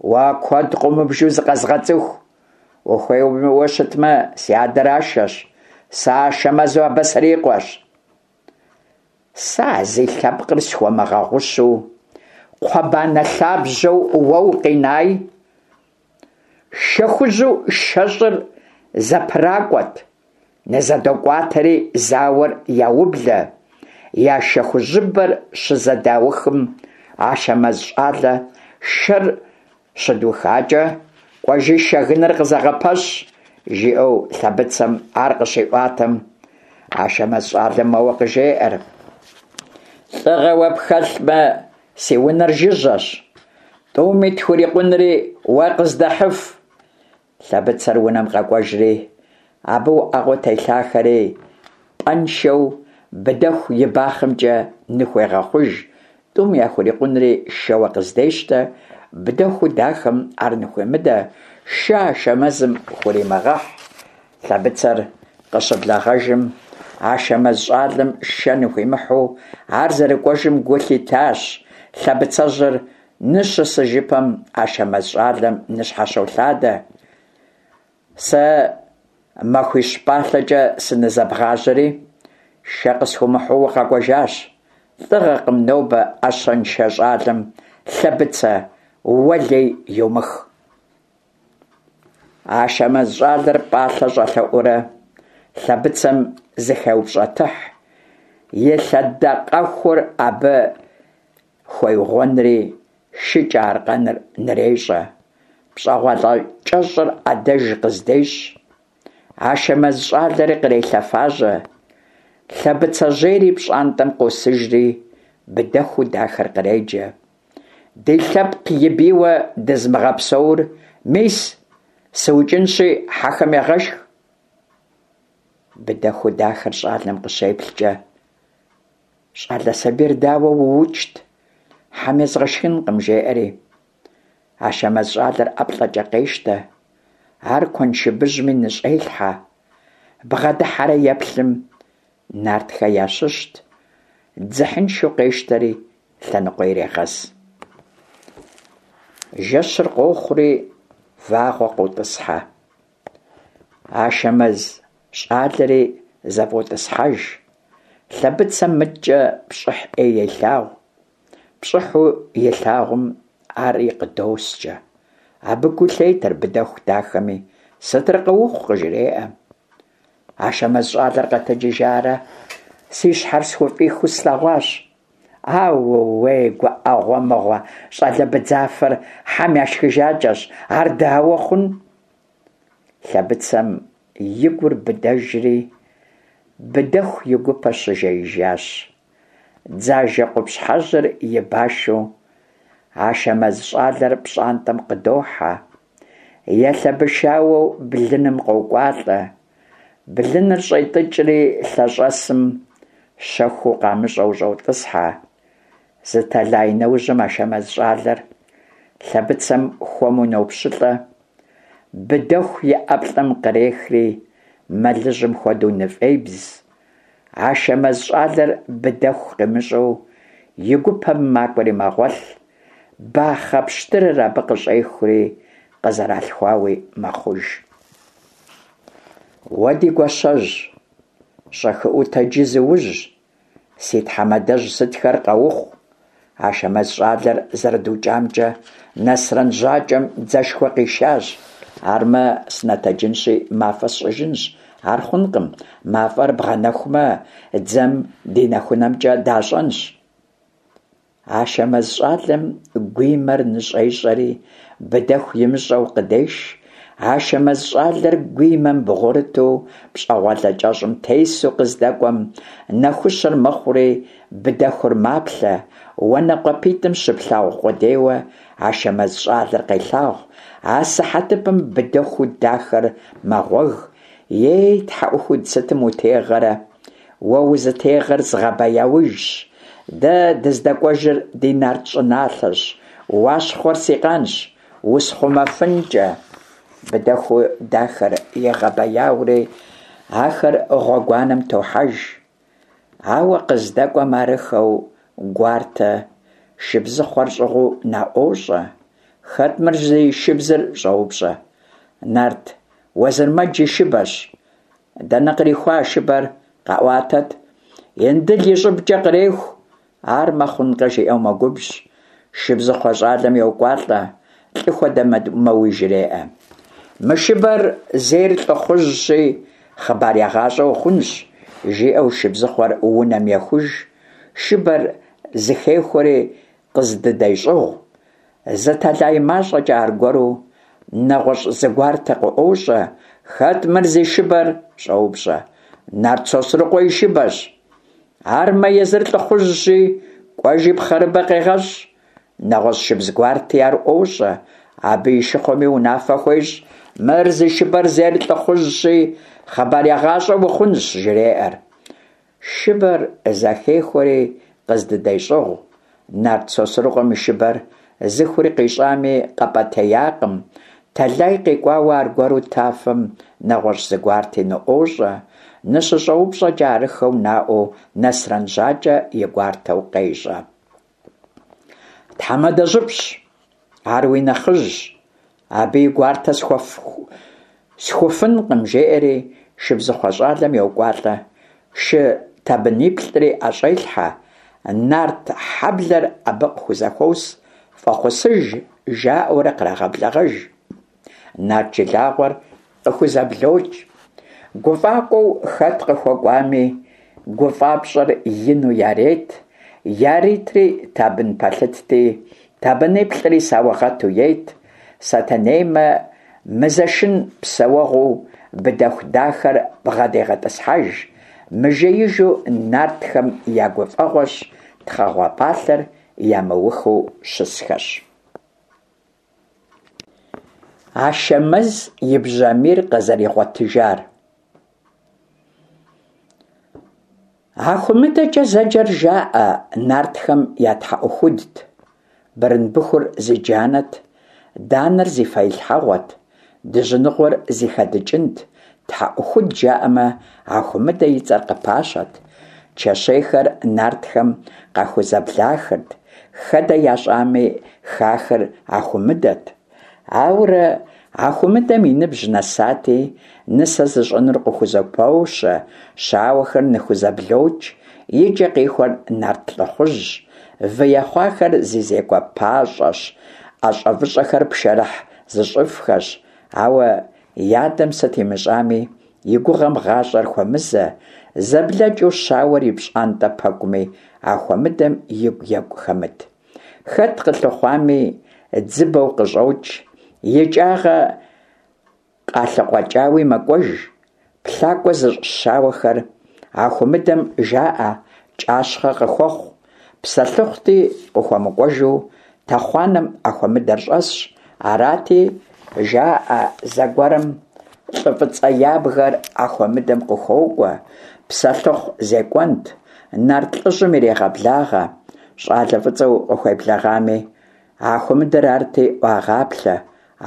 Уэ куэд къыумыбжу зыкъэзгъэцӏыху. Ухуейуэ щытмэ, си адэр Ашэщ, сэ Ашэмэзу абы срикъуэщ. Сэ а зи лъэпкъыр схуэмыгъэгъущу, кхъуэбанэ лъабжьэу уэ укъинай? Шэ хужьу шэщӏыр зэпракӏуэт, нызэдокӏуатэри зауэр яублэ. Я шэ хужьыбэр щызэдаухым, Ашэмэз щӏалэ шэр щыдухакӏэ, кӏуэжи шэгыныр къызэгъэпэщ, жиӏэу Лъэбыцэм ар къыщиӏуатэм, Ашэмэз щӏалэм моуэ къыжеӏэр: Лӏыгъэ уэ пхэлъмэ, си унэр жыжьэщ, тӏуми тхурикъунри уэ къыздэхьыф. Лъэбыцэр унэм къэкӏуэжри, абы уӏэгъэу телъахэри пӏэншэу Быдэху и бахъэмкӏэ ныхуегъэхъуж, тӏум яхурикъунри шэуэ къыздещтэ. Быдэху дахэм ар ныхуемыдэ, шэ Ашэмэзым хуримыгъэхь. Лъэбыцэр къыщыблэгъэжым, Ашэмэз щӏалэм шэ ныхуимыхьу ар зэрыкӏуэжым гу лъитащ. Лъэбыцэжьыр ныщысыжыпэм Ашэмэз щӏалэм ныщхьэщолъадэ. Сэ махуищ пӏалъэкӏэ сынызэбгъажьэри, шэ къысхуумыхьу укъэкӏуэжащ. Лӏыгъэкъым нобэ ӏэщэншэ щӏалэм Лъэбыцэ уэ лей йумых. Ашэмэз щӏалэр пӏалъэ щӏэлъэӏуурэ Лъэбыцэм зыхеупщӏэтыхь, и лъэдакъэхур абы хуеугъуэнри шыкӏэ аркъэныр нырещӏэ. ПщӀэгъуалэ кӏэщӏыр ӏэдэж къыздещӏ. Ашэмэз щӏалэри кърелъэфажьэ. Лъэбыцэжьейри пщӏантӏэм къосыжри, Быдэхуу дахэр къреджэ. Ди лъэпкъ и бийуэ дызымыгъэпсэур, мис, сыукӏынщи, хьэхэм егъэшх. Быдэхуу дахэр щӏалэм къыщеплъкӏэ, щӏалэ сабийр дауэ уукӏт, хьэм езгъэшхынкъым, жеӏэри. Ашэмэз щӏалэр ӏэплӏэкӏэ къещтэ, ар куэншыбыжьми ныщӏелъхьэ. Бгъэдыхьэрэ еплъым, нартхэ ящыщт, дзыхьыншэу къещтэри лъэныкъуэ ирегъэз. Жэщыр къохъури вагъуэ къотӏысхьэ. Ашэмэз щӏалэри зэфӏотӏысхьэж. Лъэбыцэм мыткӏэ пщӏыхь ӏей елъагъу. Пщӏыхьу илъагъум ари къыдоскӏэ. Абы гу лъетэр Быдэху дахэми, сытыр къыухъу къыжреӏэ. Ашэмэз щӏалэр къэтэджыжарэ си щхьэр схуфӏихыу слъэгъуащ. Аууей, гуӏэгъуэ мыгъуэ, щӏалэ быдзафэр хьэм яшхыжакӏэщ, ар дауэ хъун? Лъэбыцэм и гур быдэжри, Быдэху и гупэ щыжеижащ. Дзажэ къупщхьэжьыр и башу Ашэмэз щӏалэр пщӏантӏэм къыдохьэ. Елъэбышауэу блыным къокӏуалӏэ. Блыныр щӏетӏыкӏри лъэщӏэсым щэхуу къамыщӏэу щӏотӏысхьэ. Зы тэлай нэужьым Ашэмэз щӏалэр Лъэбыцэм хуэму нопщылӏэ. Быдэху и ӏэплӏэм кърехри мэлыжьым хуэдэу ныфӏебз. Ашэмэз щӏалэр Быдэху къимыщӏэу и гупэм макӏуэри мэгъуэлъ. Бахъэ пщтырыр абы къыщӏехури къызэралъхуауи мэхъуж. Уэ ди гуащэжь, щӏэхыӏуэу тэджи зыужь, си тхьэмадэжь сытхэр къэухъу. Ашэмэз щӏалэр зэрыдукӏамкӏэ Нэсрэн Жьакӏэм дзэшхуэ къишащ. Армэ, сынэтэджынщи, мафӏэ сщӏыжынщ. Ар хъункъым, мафӏэр бгъэнэхумэ, дзэм ди нэхунэмкӏэ дащӏэнщ. Ашэмэз щӏалэм гуимэр ныщӏещӏэри, Быдэху имыщӀэу къыдеш. Ашэмэз щӀалэр гуимэм бгъурыту пщӀэгъуалэ кӀэщӀым тесу къыздэкӀуэм, нэхущыр мэхъури, Быдэхур маплъэ, уанэ къуапитӀым щыплъагъу къудейуэ Ашэмэз щӀалэр къелъагъу. Асыхьэтыпэм Быдэхуу дахэр мэгъуэг: «Ей, тхьэӀухуд, сытым утегъэрэ? Уэ узытегъэр згъэбэяужщ, дэ дыздэкӀуэжыр ди нарт щӀыналъэщ, Уащхъуэр си къанщ, усхъумэфынкӀэ!» Быдэхуу дахэр егъэбэяури, ахэр гъуэгуанэм тохьэж. Ауэ къыздэкӀуэм арыххэу гуартэ шыбзыхъуэр щӀыгъуу наӀуощӀэ. «Хэт мыр зи шыбзыр?» – щӀоупщӀэ. «Нарт Уэзырмэдж и шыбэщ». «Дэнэ кърихуа а шыбэр, къэӀуатэт?» «Индыл и щӀыбкӀэ къреху, армэ хъункъэ», – жиӀэу мэгубжь. Шыбзыхъуэ щӀалэм йокӀуалӀэ, лӀы хуэдэ мэуи жреӀэ. «Мы шыбэр зейр лӀыхъужьщи, хъыбар егъащӀэ ухъунщ», – жиӀэу шыбзыхъуэр унэм ехуж, шыбэр зыхехуэри къыздыдещӀыгъу. Зы тэлай мащӀэкӀэ аргуэру нэгъуэщӀ зы гуартэ къыӀуощӀэ. «Хэт мыр зи шыбэр?» – щӀоупщӀэ. «Нарт Сосрыкъуэ и шыбэщ». «Армэ, езыр лӀыхъужьщи, кӀуэжи пхъэрыбэ къегъэщӀ». НэгъуэщӀ шыбз гуарти ар ӀуощӀэ. Абы и шыхъуэми унафэ хуещӀ: «Мыр зи шыбэр зейр лӀыхъужьщи, хъыбар егъащӀэ ухъунщ», – жреӀэр. Шыбэр зэхехуэри къыздыдещӀыгъу. Нарт Сосрыкъуэм и шыбэр зыхури къищӀами, къэпӀэтеякъым. Тэлай къикӀуауэ аргуэру тафэм нэгъуэщӀ зы гуарти ныӀуощӀэ. НыщыщӀэупщӀэкӀэ, арыххэу наӀуэу Нэсрэн ЖьакӀэ и гуартэу къещӀэ. «Тхьэмадэжьыпщ, ар уи нэхъыжьщ, абы и гуартэ схуфынкъым», – жеӀэри шыбзыхъуэ щӀалэм йокӀуалӀэ, шы табыниплӀри ӀэщӀелъхьэ, нарт хьэблэр абы къыхузэхуос, фӀэхъусыж жаӀэурэ кърагъэблэгъэж. Нарт жылагъуэр къыхузэблокӀ. ГуфӀакӀуэу хэт къыхуэкӀуами, гуфӀапщӀэр ину ярет, яритри табын пэлъытти, табыниплӀри саугъэту ет. Сэтэнеймэ, мызэшын псэуэгъуу Быдэху дахэр бгъэдегъэтӀысхьэж. Мыжеижу нартхэм я гуфӀэгъуэщ, тхъэгъуэ пӀалъэр ямыухыу щысхэщ. Ашэмэз и бжьамийр къызэригъуэтыжар. Ахумыдэкӏэ зэджэр, жаӏэ, нартхэм я тхьэӏухудт. Бырымбыхур зи джанэт, данэр зи фэилъхьэгъуэт, дыжьыныгъуэр зи хэдыкӏынт. Тхьэӏухуд жаӏэмэ, Ахумыдэ и цӏэр къыпащэрт. Чэщейхэр нартхэм къахузэблахырт, хэдэ ящӏами, хахыр Ахумыдэт. Ауэрэ Ахумыдэм и ныбжь нэсати, нысэ зыщӏынур къыхузэпощэ, щауэхэр ныхузэблокӏ, и кӏэ къихуэр нарт лӏыхъужьщ, вы ехъуахэр зи зекӏуэ пащӏэщ, ӏэщӏэвыщӏэхэр пшэрыхь зыщӏыфхэщ. Ауэ и адэм сыт имыщӏами, и гугъэм гъащӏэр хуэмызэ, зэблэкӏыу щауэр и пщӏантӏэ пэкӏуми, Ахумыдэм игу екӏу хэмыт. Хэт къылъыхъуами, дзыбэу къыщӏокӏ, икӏагъэ къалъыкъуэкӏауи мэкӏуэж. Плъакӏуэ зыщӏ щауэхэр Ахумыдэм жаӏэ кӏащхъэ къыхуэхъу, псэлъыхъути къыхуэмыкӏуэжу тэхъуанэм Ахумыдэр щӏэсщ. Арати, жаӏэ, зэгуэрым лӏы фӏыцӏэ ябгэр Ахумыдэм къыхуокӏуэ, псэлъыхъу зекӏуэнт, нарт лӏыжьым ирегъэблагъэ. Щӏалэ фӏыцӏэу къыхуеблэгъами, Ахумыдэр арти, ӏуагъаплъэ.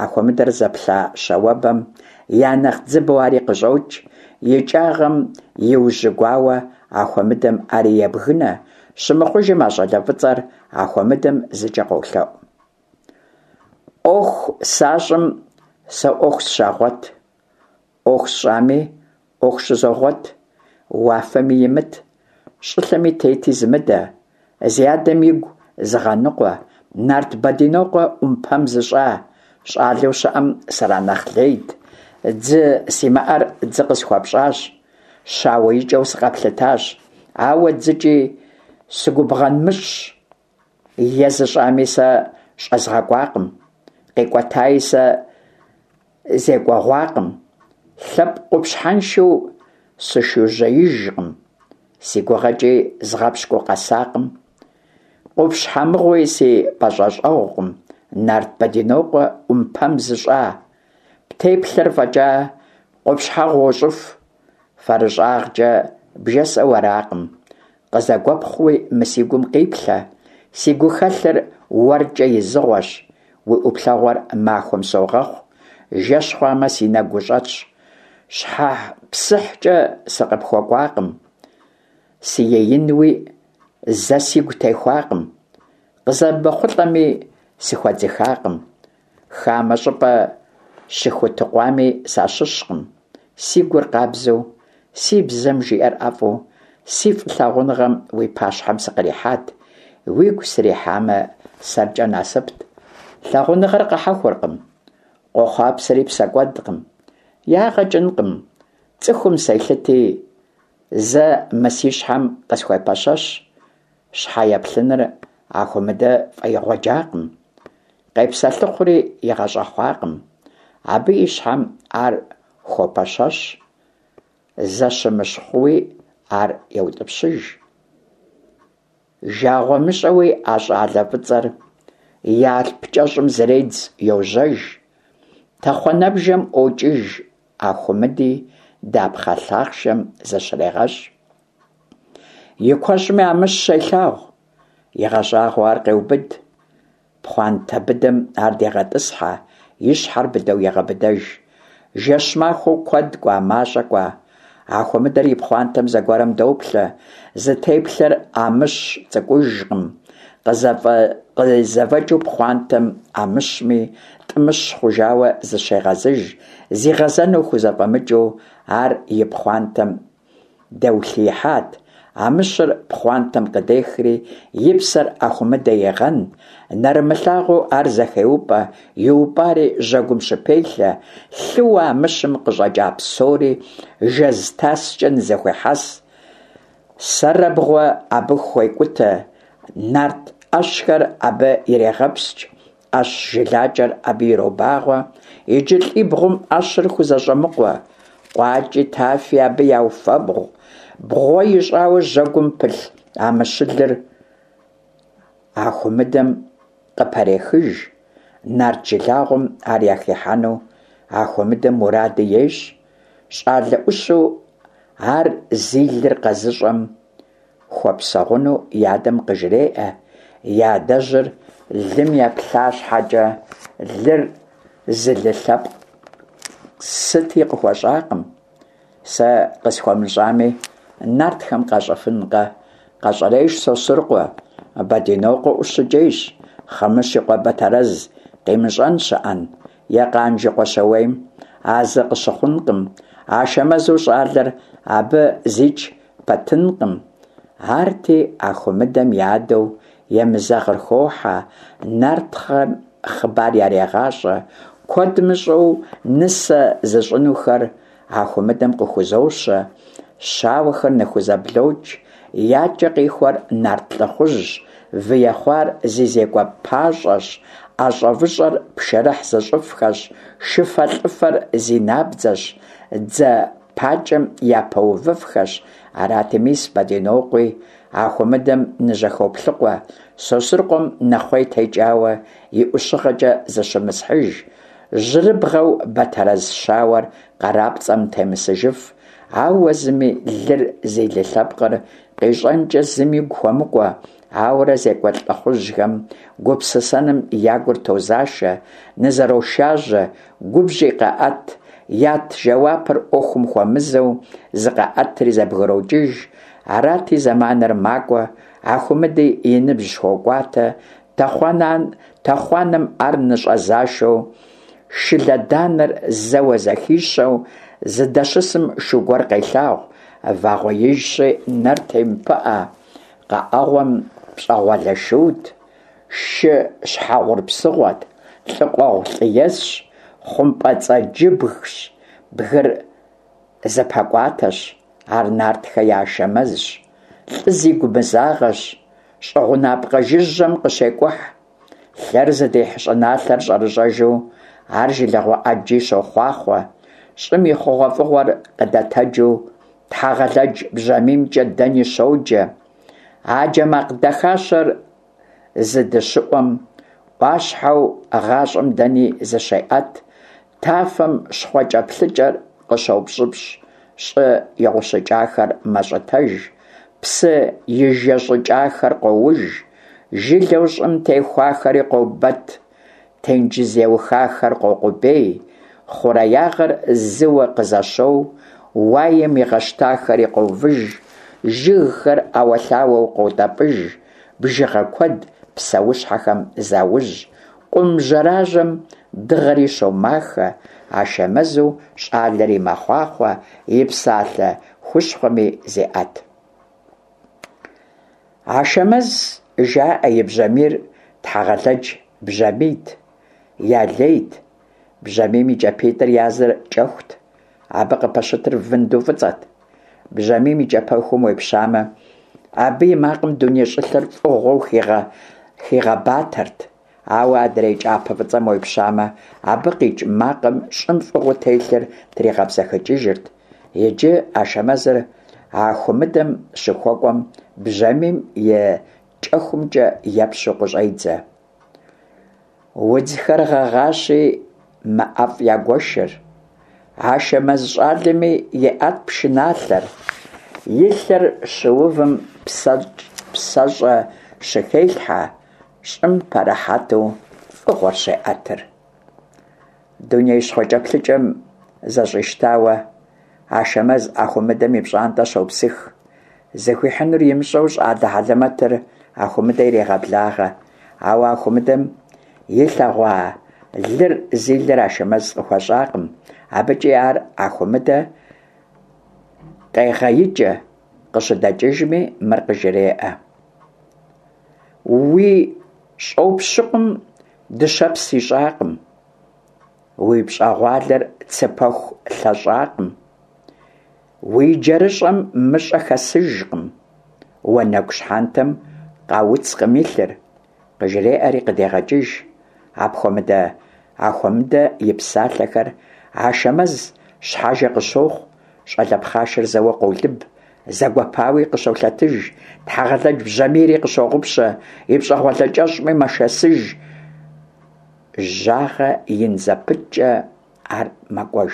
Ахумыдэр зэплъа щауэбэм я нэхъ дзыбэу ари къыщӏокӏ, икӏагъэм иужьыгуауэ Ахумыдэм ари ебгынэ. Щымыхъужым, а щӏалэ фӏыцӏэр Ахумыдэм зыкӏэ къолъэӏу: «ӏуэху сащӏым сэ ӏуэху сщагъуэт, ӏуэху сщӏами ӏуэху щызогъуэт, уафэми имыт, щӏылъэми тети зымыдэ, зи адэм игу зыгъэныкъуэ, нарт Бэдинокъуэ ӏумпэм зыщӏа, щӏалэу щыӏэм сранэхъ лейт, дзы симыӏэр дзы къысхуэпщӏащ, щауэ икӏэу сыкъэплъытащ, ауэ дзыкӏи сыгубгъэнмыщӏщ, е зыщӏами сэ щӏэзгъэкӏуакъым, къикӀуэтаи сэ зекӀуэгъуакъым, лъэпкъ къупщхьэншэу сышужьеижкъым, си гугъэкӀи згъэпщкӀуу къэсакъым, къупщхьэ мыгъуи си пӀэщӀэщӀэгъукъым, нарт Бэдинокъуэ Ӏумпэм зыщӀа, птеплъэр фӀэкӀа къупщхьэгъу уощӀыху, фэрыщӀагъкӀэ бжесӀэу аракъым, къызэгуэпхъууи мы си гум къиплъэ, си гухэлъыр уэркӀэ изыгъуэщ, уи Ӏуплъэгъуэр махуэм согъэхъу, жэщ хъуамэ, си нэгу ущӀэтщ, щхьэпсыхькӀэ сыкъыпхуэкӀуакъым, сыеинуи зэ сигу техуакъым, къызэмыхъулӀэми сыхуэдзыхакъым, хамэ щӀыпӀэ щыхутыкъуами сащыщкъым, си гур къабзэу, си бзэм жиӀэр ӀэфӀу, си фӀылъагъуныгъэм уи пащхьэм сыкърихьат, уигу срихьамэ, сэркӀэ насыпт. Лъагъуныгъэр къэхьэхуэркъым, къохъуапсэри псэкӀуэдкъым, ягъэ кӀынкъым, цӀыхум селъыти, зэ мы си щхьэм къысхуепэщэщ. Щхьэ еплъыныр Ахумыдэ фӀэигъуэджакъым, къепсэлъыхъури игъэщӀэхъуакъым. Абы и щхьэм ар хуопэщэщ, зэщымыщхъууи ар еутӀыпщыж. ЖагъуэмыщӀэуи а щӀалэ фӀыцӀэр и алъп кӀэщӀым зредз, йожьэж. Тэхъуанэбжэм ӀуокӀыж Ахумыди, дапхъэ лъахъшэм зыщрегъэщӀ. И куэщӀми Амыщ щелъагъу, игъэщӀагъуэу ар къеубыд. Пхъуантэ быдэм ар дегъэтӀысхьэ, и щхьэр быдэу егъэбыдэж. Жэщ-махуэу куэд кӀуа, мащӀэ кӀуа, Ахумыдэр и пхъуантэм зэгуэрым доплъэ, зытеплъэр Амыщ цӀыкӀужкъым, къызэфӀэкӀыу пхъуантэм Амыщми, тӀымыщ хъужауэ зыщегъэзыж, зигъэзэну хузэфӀэмыкӀыу ар и пхъуантэм дэулъиихьат. Амыщыр пхъуантэм къыдехри, и псэр Ахумыдэ егъэн, нэрымылъагъуу ар зэхеупӀэ, иупӀари жьэгум щыпелъэ, лъыуэ Амыщым къыщӀэкӀа псори жэз таскӀэ нызэхуехьэс, сэрэбгъуэ абы хуекӀутэ, нарт Ӏэщхэр абы ирегъэпскӀ, Ӏэщ жылакӀэр абы иробагъуэ, иджы лӀибгъум Ӏэщыр хузэщӀэмыкъуэ, къуакӀи тафи абы яуфэбгъу, бгъуэ ищӀауэ жьэгум пылъ амыщылыр Ахумыдэм къыпэрехыж, нарт жылагъуэм ар яхихьэну Ахумыдэм муради ещӀ. ЩӀалэ Ӏущу ар зи лыр къэзыщӀэм хуэпсэгъуну и адэм къыжреӀэ, и адэжьыр лым еплъа щхьэкӀэ, лыр зы лы лъэпкъ сыти къыхуэщӀакъым. Сэ къысхуэмыщӀами, нартхэм къащӀэфынкъэ? КъэщӀэрейщ Сосрыкъуэ, Бэдинокъуэ ӀущыкӀейщ, Хъымыщ и къуэ Бэтэрэз къимыщӀэн щыӀэн, е Къанж и къуэ Щауейм, а зы къыщыхъункъым, Ашэмэзу щӀалэр абы зич пэтынкъым. Арти Ахумыдэм и адэу Емызэгъыр хохьэ, нартхэм хъыбар ярегъащӀэ, куэд мыщӀэу нысэ зыщӀынухэр Ахумыдэм къыхузощэ, щауэхэр ныхузэблокӀ, я кӀэ къихуэр нарт лӀыхъужьщ, вы ехъуар зи зекӀуэ пащӀэщ, ӀэщӀэвыщӀэр пшэрыхь зыщӀыфхэщ, шыфэлӀыфэр зи набдзэщ, дзэ пакӀэм япэувыфхэщ. Арати, мис Бэдинокъуи Ахумыдэм ныжьэхоплъыкъуэ, Сосрыкъуэм нэхъуей текӀауэ и ӀущыгъэкӀэ зыщымысхьыж, жьэрыбгъэу Бэтэрэз щауэр къарапцӀэм темысыжыф, ауэ зыми лыр зи лы лъэпкъыр къищӀэнкӀэ зыми игу хуэмыкӀуэ. Ауэрэ зекӀуэ лӀыхъужьхэм гупсысэным я гур тозашэ, нызэрошажьэ, губжьи къаӀэт, ят жэуапыр Ӏуэхум хуэмызэу зыкъаӀэтри зэбгрокӀыж. Арати, зэманыр макӀуэ, Ахумыди и ныбжь хокӀуатэ, тэхъуанэм ар ныщӀэзашэу, шылэданэр зэуэ зэхищэу зыдэщысым шу гуэр къелъагъу, вагъуэижщи, нэр темыпыӀэ, къэӀэгъуэм пщӀэгъуалэ шут, шы щхьэгъур псыгъуэт, лӀы къуэгъу лӀы есщ, хъумпӀэцӀэджыбгщ, бгыр зэпэкӀуатэщ, ар нартхэ я Ашэмэзщ, лӀы зигу мызагъэщ, щӀы гъунапкъэ жыжьэм къыщекӀухь, Лъэр зыдихь щӀыналъэр щӀэрэщӀэжу, ар жылэгъуэ Ӏэджи щохъуахъуэ, щӀым и хъугъуэфӀыгъуэр къыдэтэджу, Тхьэгъэлэдж бжьамиймкӀэ дэни щоджэ. А джэ макъ дахащэр зыдыщыӀум, Ӏуащхьэу гъащӀэм дэни зыщеӀэт, тафэм щхъуэкӀэплъыкӀэр къыщопщӀыпщӀ, щӀы игъущӀыкӀахэр мэщӀытэж, псы ижэщӀыкӀахэр къоуж, жылэу щӀым техуахэри къобэт, тенджыз еухахэр къокъубей, хъуреягъэр зыуэ къызэщоу, уаем игъэщтахэри къовыж, жыгхэр Ӏэуэлъауэу къотӀэпӀыж, бжыгъэ куэд псэущхьэхэм заужь, къум жьэражьэм дыгъэри щомахэ, Ашэмэзу щӀалэри мэхъуахъуэ, и псалъэ хущхъуэми зеӀэт. Ашэмэз жаӀэ и бжьамийр Тхьэгъэлэдж бжьамийт, ялейт. Бжьамийм и кӀапитӀыр языр кӀэхут, абы къыпэщытыр вынду фӀыцӀэт. Бжьамийм и кӀапэхум уепщамэ, абы и макъым дуней щӀылъэр фӀыгъуэу хигъэбатэрт. Ауэ адрей кӀапэ фӀыцӀэм уепщамэ, абы къикӀ макъым щӀым фӀыгъуэу телъыр тригъэбзэхыкӀыжырт. Иджы Ашэмэзыр Ахумыдэм щыхуэкӀуэм, бжьамийм и кӀэхумкӀэ епщэу къыщӀедзэ. Удзхэр гъэгъащи, мэ ӀэфӀ ягуэшыр. Ашэмэз щӀалэми еӀэт пшыналъэр. И лъэр щыувым псэщӀэ щыхелъхьэ, щӀым пэрыхьэту фӀыгъуэр щеӀэтыр. Дуней щхъуэкӀэплъыкӀэм зэщӀищтауэ, Ашэмэз Ахумыдэм и пщӀантӀэ щопсых. Зыхуихьынур имыщӀэу щӀалэ хьэлэмэтыр Ахумыдэ ирегъэблагъэ. Ауэ Ахумыдэм илъэгъуа лыр зи лыр Ашэмэз къыхуэщӀакъым. АбыкӀи ар Ахумыдэ къегъэикӀэ, къыщыдэкӀыжми мыр къыжреӀэ: Уи щӀопщыкъум дыщэпс ищӀакъым, уи пщӀэгъуалэр цыпэху лъэщӀакъым, уи джэрыщӀэм мыщӀэ хэсыжкъым, уанэгу щхьэнтэм къауцкъым илъыр, къыжреӀэри къыдегъэкӀыж. Апхуэмыдэ Ахуэмыдэ и псалъэхэр Ашэмэз щхьэжэ къыщохъу, щӀалэ пхъашэр зэуэ къолыб, зэгуэпауи къыщолъэтыж, Тхьэгъэлэдж бжьамийри къыщогъупщэ, и пщӀэгъуалэ кӀэщӀми мэшэсыж, жьагъэ ин зэпыткӀэ ар мэкӀуэж.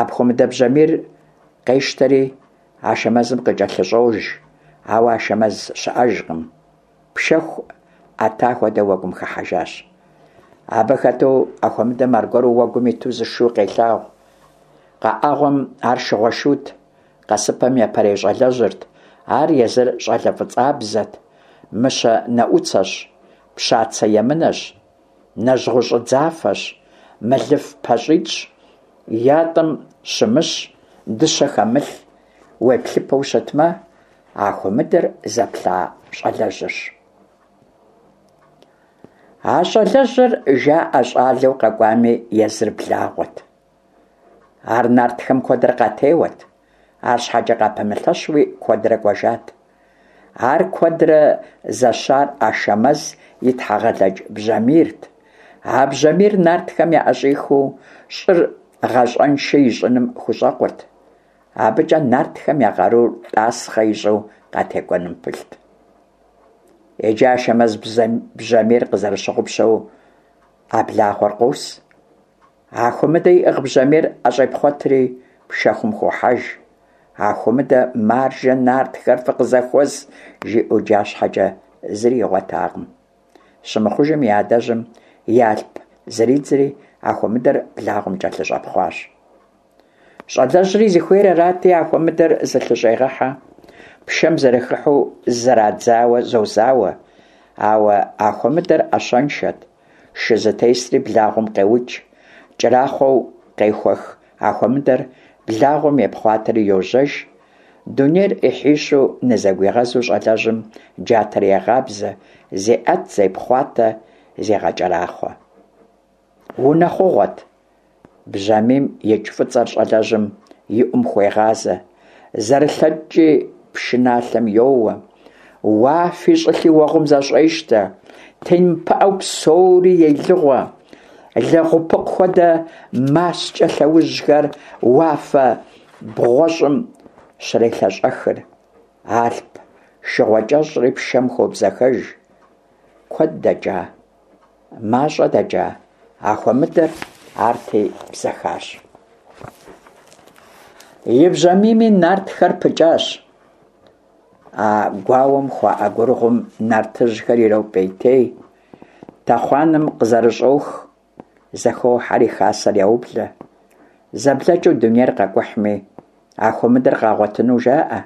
Апхуэмыдэ бжьамийр къещтэри Ашэмэзым къыкӀэлъыщӀож, ауэ Ашэмэз щыӀэжкъым, пшэху Ӏэта хуэдэ уэгум хыхьэжащ. Абы хэту Ахуэмыдэм аргуэру уэгум иту зы шу къелъагъу. КъэӀэгъуэм ар шыгъуэшут, къэсыпэм япэрей щӀалэжьырт. Ар езыр щӀалэ фӀыцӀабзэт, мыщэ нэӀуцэщ, пщацэ емынэщ, нэжьгъущӀыдзафэщ, мэлыф пащӀитӀщ, ятӀэм щымыщ, дыщэ хэмылъ, уеплъыпэу щытмэ, Ахуэмыдэр зэплъа щӀалэжьырщ. А щӀалэжьыр жаӀэ щӀалэу къэкӀуами, езыр благъуэт. Ар нартхэм куэдрэ къатеуэт, арщхьэкӀэ къапэмылъэщуи куэдрэ кӀуэжат. Ар куэдрэ зэщар Ашэмэз и Тхьэгъэлэдж бжьамийрт. А бжьамийр нартхэм яӀэщӀихыу щӀыр гъащӀэншэ ищӀыным хущӀэкъурт. АбыкӀэ нартхэм я къарур тӀасхъэ ищӀу къатекӀуэным пылът. Иджы Ашэмэз бжьамийр къызэрыщыгъупщэу а благъуэр къос. Ахуэмыдэ иӀыгъ бжьамийр ӀэщӀепхъуэтри пшэхум хохьэж. Ахуэмыдэ «Маржэ, нартхэр фыкъызэхуэс!» жиӀэу джа щхьэкӀэ зыри игъуэтакъым. Щымыхъужым и адэжьым и алъп зридзри Ахуэмыдэр благъуэм кӀэлъыщӀэпхъуащ. ЩӀалэжьри зыхуейр арати, Ахуэмыдэр зылъыщӀегъэхьэ. Пшэм зэрыхыхьэу зэрадзауэ зозауэ. Ауэ Ахуэмыдэр Ӏэщэншэт, шы зытесри благъуэм къеукӀ. КӀэрахъуэу къехуэх Ахуэмыдэр благъуэм епхъуатэри йожьэж. Дунейр Ӏыхьищу нызэгуигъэзу щӀалэжьым джатэр егъабзэ, зеӀэт, зепхъуатэ, зегъэкӀэрахъуэ. Унэхъугъуэт. Бжьамийм икӀ фӀыцӀэр щӀалэжьым и Ӏум хуегъазэ. ЗэрылъэкӀкӀи пшыналъэм йоуэ. Уафи щӀылъи уэгъум зэщӀещтэ, темыпыӀэу псори елыгъуэ. Лэгъупыкъу хуэдэ маскӀэ лъэужьхэр уафэ бгъуэщӀым щрелъэщӀэхыр. Алъп шыгъуэ кӀэщӀри пшэм хобзэхэж. Куэд дэкӀа, мащӀэ дэкӀа, Ахуэмыдэр арти бзэхащ. И бжьамийми нартхэр пыкӀащ. А гуауэм хуаӀэ гурыгъум нартыжьхэр иропӀейтей, тэхъуанэм къызэрыщӀох, зэхохьэри хасэр яублэ. ЗэблэкӀыу дунейр къакӀухьми, Ахуэмыдэр къагъуэтыну жаӀэ.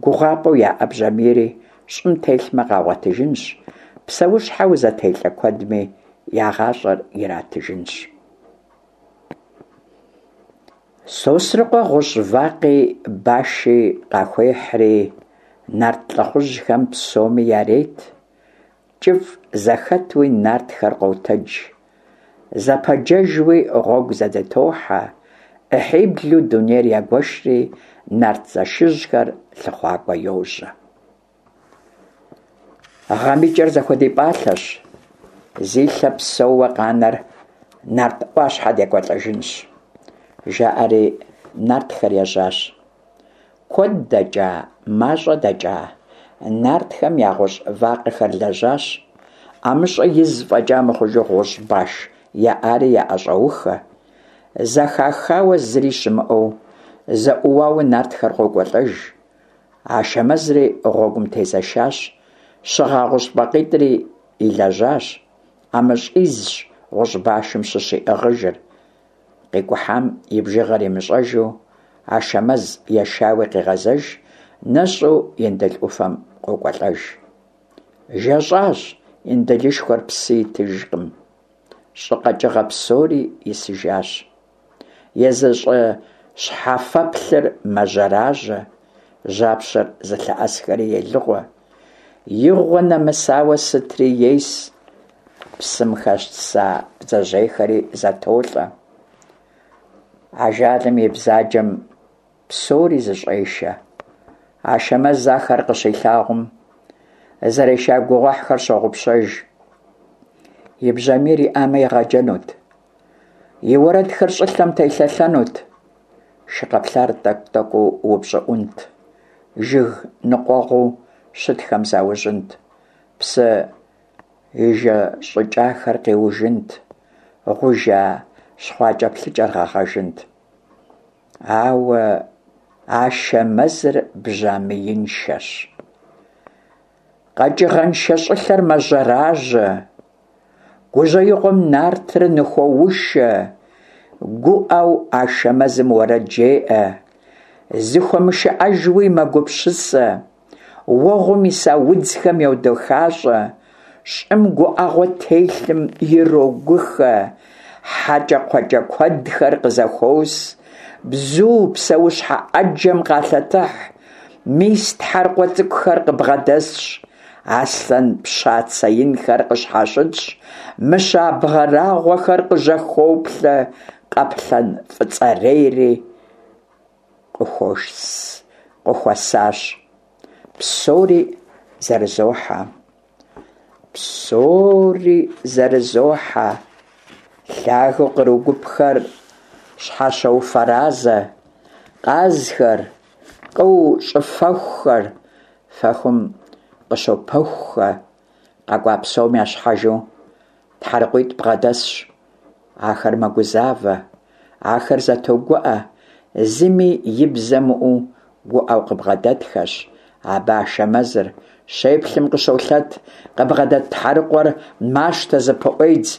ГугъапӀэу яӀэ бжьамийри щӀым телъмэ, къагъуэтыжынщ, псэущхьэу зэтелӀэ куэдми я гъащӀэр иратыжынщ. Сосрыкъуэ гъущӀ вакъи баши къахуехьри нарт лӀыхъужьхэм псоми ярет. КӀыфӀ зэхэтуи нартхэр къотэдж, зэпэджэжуи гъуэгу зэдытохьэ, Ӏыхьиблу дунейр ягуэшри нарт зэшыжьхэр лъыхъуакӀуэ йожьэ. Гъэм и кӀэр зэхуэдипӀалъэщ, зи лъэ псэууэ къанэр нарт Ӏуащхьэ декӀуэлӀэжынщ, жаӀэри нартхэр ежьащ. Куэд дэкӀа, мащӀэ дэкӀа, нартхэм я гъущӀ вакъэхэр лэжьащ, ӀэмыщӀэ из фӀэкӀа мыхъужу гъущӀ баш яӀари яӀэщӀоухэ. Зэхахауэ зыри щымыӀэу, зэӀыуауэ нартхэр къокӀуэлӀэж. Ашэмэзри гъуэгум тезэшащ, щыгъа гъущӀ вакъитӀри илэжьащ, ӀэмыщӀизщ гъущӀ башым щыщ иӀыгъыжыр. КъикӀухьам и бжыгъэр имыщӀэжу, Ашэмэз ешауи къегъэзэж, нэщӀу Индыл Ӏуфэм къокӀуэлӀэж. ЖэщӀащ, Индылышхуэр псы итыжкъым, щӀы къэкӀыгъэ псори исыжащ. Езы щӀы щхьэфэплъыр мэжьэражьэ, жьапщэр зылъэӀэсхэри елыгъуэ. Игъуэ нэмысауэ сытри ес, псым хэса бдзэжьейхэри зэтолӀэ. Ажалым и бзаджэм псори зыщӀешэ. Ашэмэз ахэр къыщилъагъум, зэреша гугъуехьхэр щогъупщэж. И бжьамийр иӀамэ, игъэджэнут, и уэрэдхэр щӀылъэм телъэлъэнут, шы къэплъар тӀэкӀу-тӀэкӀуу упщӀыӀунт, жыг ныкъуэгъуу щытхэм заужьынт, псы ижэщӀыкӀахэр къиужынт, гъужа щхъуэкӀэплъыкӀэр гъэгъэжынт. Ауэ Ашэмэзыр бжьамииншэщ. КъэкӀыгъэншэ щӀылъэр мэжьэражьэ, гужьеигъуэм нартыр ныхуоушэ, гуӀэу Ашэмэзым уэрэд жеӀэ, зыхуэмышыӀэжуи мэгупсысэ, уэгъум иса удзхэм йодэхащӀэ, щӀым гуӀэгъуэ телъым ирогухэ, хьэкӀэкхъуэкӀэ куэдхэр къызэхуос, бзу, псэущхьэ Ӏэджэм къалъэтыхь, мис тхьэркъуэ цӀыкӀухэр къыбгъэдэсщ, аслъэн пщацэ инхэр къыщхьэщытщ, мыщэ абрагъуэхэр къыжьэхоплъэ, къаплъэн фӀыцӀэрейри къыхуэсащ. Псори зэрызохьэ. Псори зэрызохьэ. Лъагэу къру гупхэр щхьэщоуфэразэ, къазхэр, къыу щӀыфэхухэр фэхум къыщопэхухэ. КъэкӀуа псом я щхьэжу тхьэрыкъуитӀ бгъэдэсщ. Ахэр мэгузавэ, ахэр зэтогуӀэ, зыми и бзэ мыӀуу гуӀэу къыбгъэдэтхэщ. Абы Ашэмэзыр щеплъым къыщолъэт, къыбгъэдэт тхьэрыкъуэр мащтэ, зыпыӀуедз.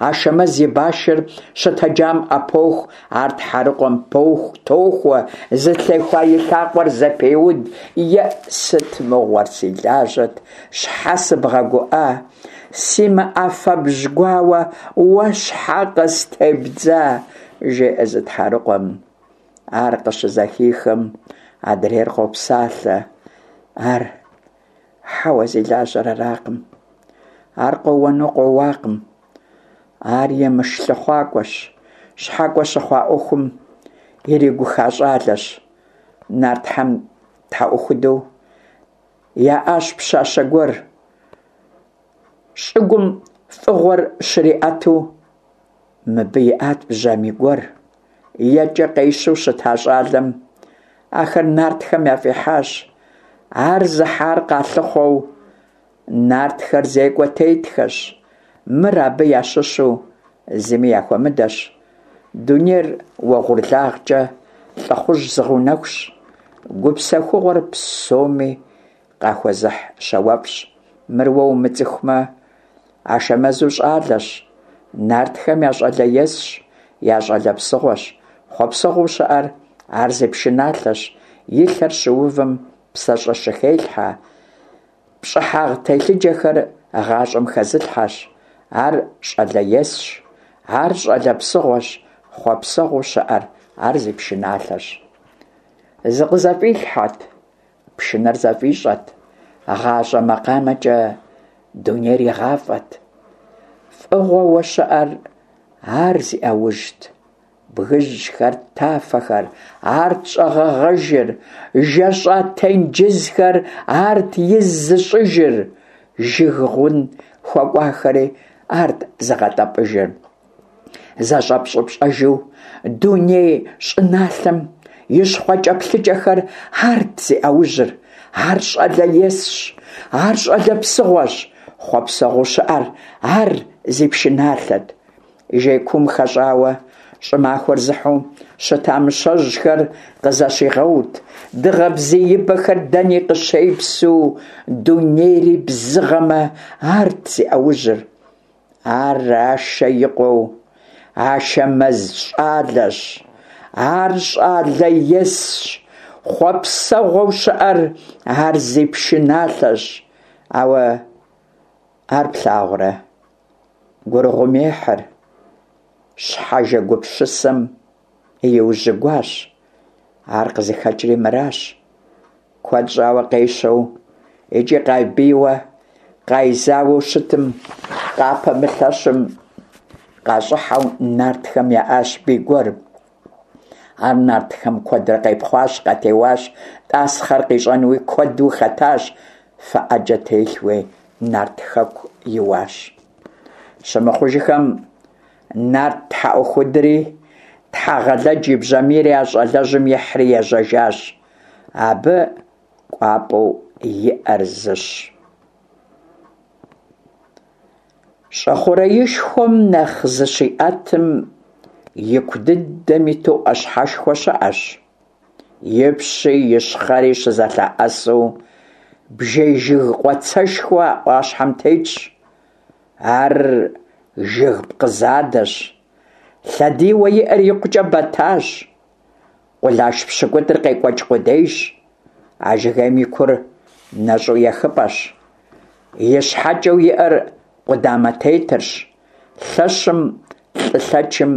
Ашэмэз и башыр щытэджам Ӏэпоху, ар тхьэрыкъуэм тохуэ, зытехуа и лъакъуэр зэпеуд. «ЕӀ, сыт мыгъуэр си лажьэт, щхьэ сыбгъэгуӀа? СимыӀэ фэбжь гуауэ уэ щхьэ къыстебдза?» жеӀэ зы тхьэрыкъуэм. Ар къыщызэхихым, адрейр къопсалъэ: «Ар хьэуэ, зи лажьэр аракъым, ар къоуэну къоуакъым, ар емыш лъыхъуакӀуэщ, щхьэкӀуэ щыхъуа Ӏуэхум иригуха щӀалэщ. Нартхэм тхьэӀухуду яӏащ пщащэ гуэр, щӏыгум фӏыгъуэр щриӏэту. Мыбы иӏат бжьамий гуэр, екӏэ къещэу щыта щӏалэм ахэр нартхэм яфӏихьащ. Ар зыхьар къалъыхъуэу нартхэр зекӏуэ тетхэщ. Мыр абы ящыщу зыми яхуэмыдэщ. Дунейр уэгъурлагъкӏэ лӏыхъужь зыгъэунэхущ, гупсэхугъуэр псоми къахуэзыхь щауэфӏщ. Мыр уэ умыцӏыхумэ, Ашэмэзу щӏалэщ, нартхэм я щӏалэ есщ, я щӏалэ псыгъуэщ. Хъуэпсэгъуэу щыӏэр ар зи пшыналъэщ, и лъэр щыувым псэщӏэ щыхелъхьэ, пщӏыхьагъ телъыджэхэр гъащӏэм хэзылъхьэщ. Ар щӏалэ есщ, ар щӏалэ псыгъуэщ, хъуэпсэгъуэу щыӏэр ар зи пшыналъэщ. Зыкъызэфӏилъхьэт, пшынэр зэфӏищӏэт, гъащӏэ макъамэкӏэ дунейр игъафӏэт. Фӏыгъуэу щыӏэр ар зи ӏэужьт. Бгыжьхэр, тафэхэр, арт щӏэгъэгъэжыр, жэщӏа тенджызхэр арт из зыщӏыжыр, жыг гъун хуэкӏуахэри арт зыгъэтӏэпӏыжыр. Зэщӏэпщӏыпщӏэжу дуней щӏыналъэм и щхъуэкӏэплъыкӏэхэр арт зи ӏэужьыр. Ар щӏалэ есщ, ар щӏалэ псыгъуэщ, хъуэпсэгъуэу щыӏэр ар зи пшыналъэт. Жей куум хэщӏауэ щӏымахуэр зыхьу щыта мыщэжьхэр къызэщигъэут, дыгъэ бзиибэхэр дэни къыщепсу, дунейри бзыгъэмэ, арт зи ӏэужьыр. Ар Ашэ и къуэу Ашэмэз щӏалэщ, ар щӏалэ есщ, хъуэпсэгъуэу щыӏэр ар зи пшыналъэщ. Ауэ ар плъагъурэ, гурыгъум ехьыр, щхьэжэ гупсысэм иужьыгуащ. Ар къызыхэкӏри мыращ. Куэд щӏауэ къещэу икӏи къайбийуэ къайзауэу щытым, къапэмылъэщым къащӏыхьэу нартхэм яӏащ бий гуэр. Ар нартхэм куэдрэ къепхъуащ, къатеуащ, тӏасхъэр къищӏэнуи куэду хэтащ, фэ ӏэджэ телъуи нарт хэку иуащ. Щымыхъужыхэм нарт тхьэӏухудри Тхьэгъэлэдж и бжьамийри а щӏалэжьым ихьри ежьэжащ. Абы кӏуапӏэу иӏэр зыщ. Щӏы хъуреишхуэм нэхъ зыщиӏэтым ику дыдэм иту ӏуащхьэшхуэ щыӏэщ. Ипщи ищхъэри щызэлъэӏэсу бжей жыг къуацэшхуэ а ӏуащхьэм тетщ. Ар жыг пкъы задэщ. Лъэдийуэ иӏэр икъукӏэ бэтащ. Къулаш пщыкӏутӏыр къекӏуэкӏ къудейщ. А жыгейм и кур нэщӏу ехыпӏэщ. И щхьэкӏэу иӏэр къудамэ тетырщ. Лъэщым, лӏы лъэчым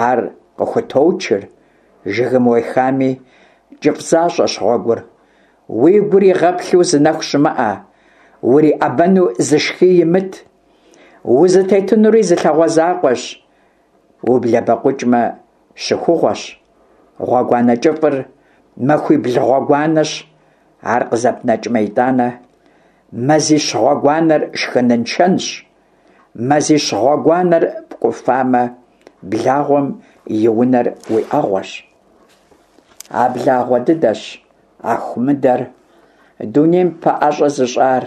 ар къыхуточыр. Жыгым уехами, кӏыфӏ защӏэщ гъуэгур. Уи гур игъэплъу зы нэху щымыӏэ, уриӏэбэну зы шхий имыт. Узытетынури зы лъагъуэ закъуэщ, ублэбэкъукӏмэ, щыхугъуэщ. Гъуэгуанэ кӏыфӏыр махуибл гъуэгуанэщ, ар къызэпнэкӏмэ итӏанэ, мазищ гъуэгуанэр шхыныншэнщ. Мазищ гъуэгуанэр пкӏуфамэ, благъуэм и унэр уи ӏэгъуэщ. А благъуэ дыдэщ Ахумыдэр дунейм пэӏэщӏэ зыщӏар,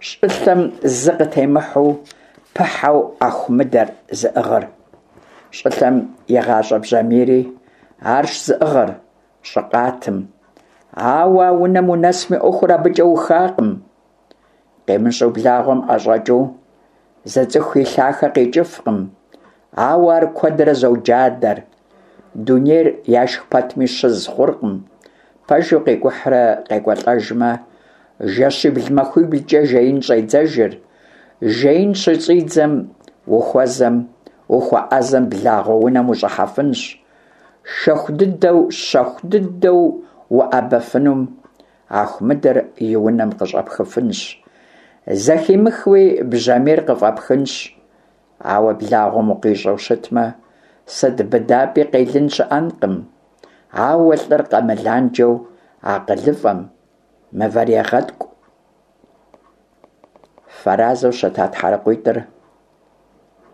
щӏылъэм зы къытемыхьэу пыхьэу Ахумыдэр зыӏыгъыр. Щӏылъэм и гъащӏэ бжьамийри арщ зыӏыгъыр щӏы къатым. Ауэ а унэм унэсми ӏуэхур абыкӏэ ухакъым. Къемыщӏэу благъуэм ӏэщӏэкӏыу зы цӏыху и лъахэ къикӏыфкъым, ауэ ар куэдрэ зоджадэр. Дунейр яшх пэтми щыз хъуркъым. Пэжу къикӏухьрэ къекӏуэлӏэжмэ, жэщибл-махуиблкӏэ жеин щӏедзэжыр. Жеин щыщӏидзэм ухуэзэм, ухуэӏэзэм благъуэ унэм ущӏыхьэфынщ. Шэху дыдэу, щэху дыдэу уӏэбэфынум Ахумыдэр и унэм къыщӏэпхыфынщ. Зэхимыхыуи бжьамийр къыфӏэпхынщ. Ауэ благъуэм укъищӏэу щытмэ, сыт быдапӏи къелын щыӏэнкъым. Ауэ лӏыр къэмыланджэу акъылыфӏэм, мывэр егъэткӏу, Фэразэу щыта тхьэрыкъуитӏыр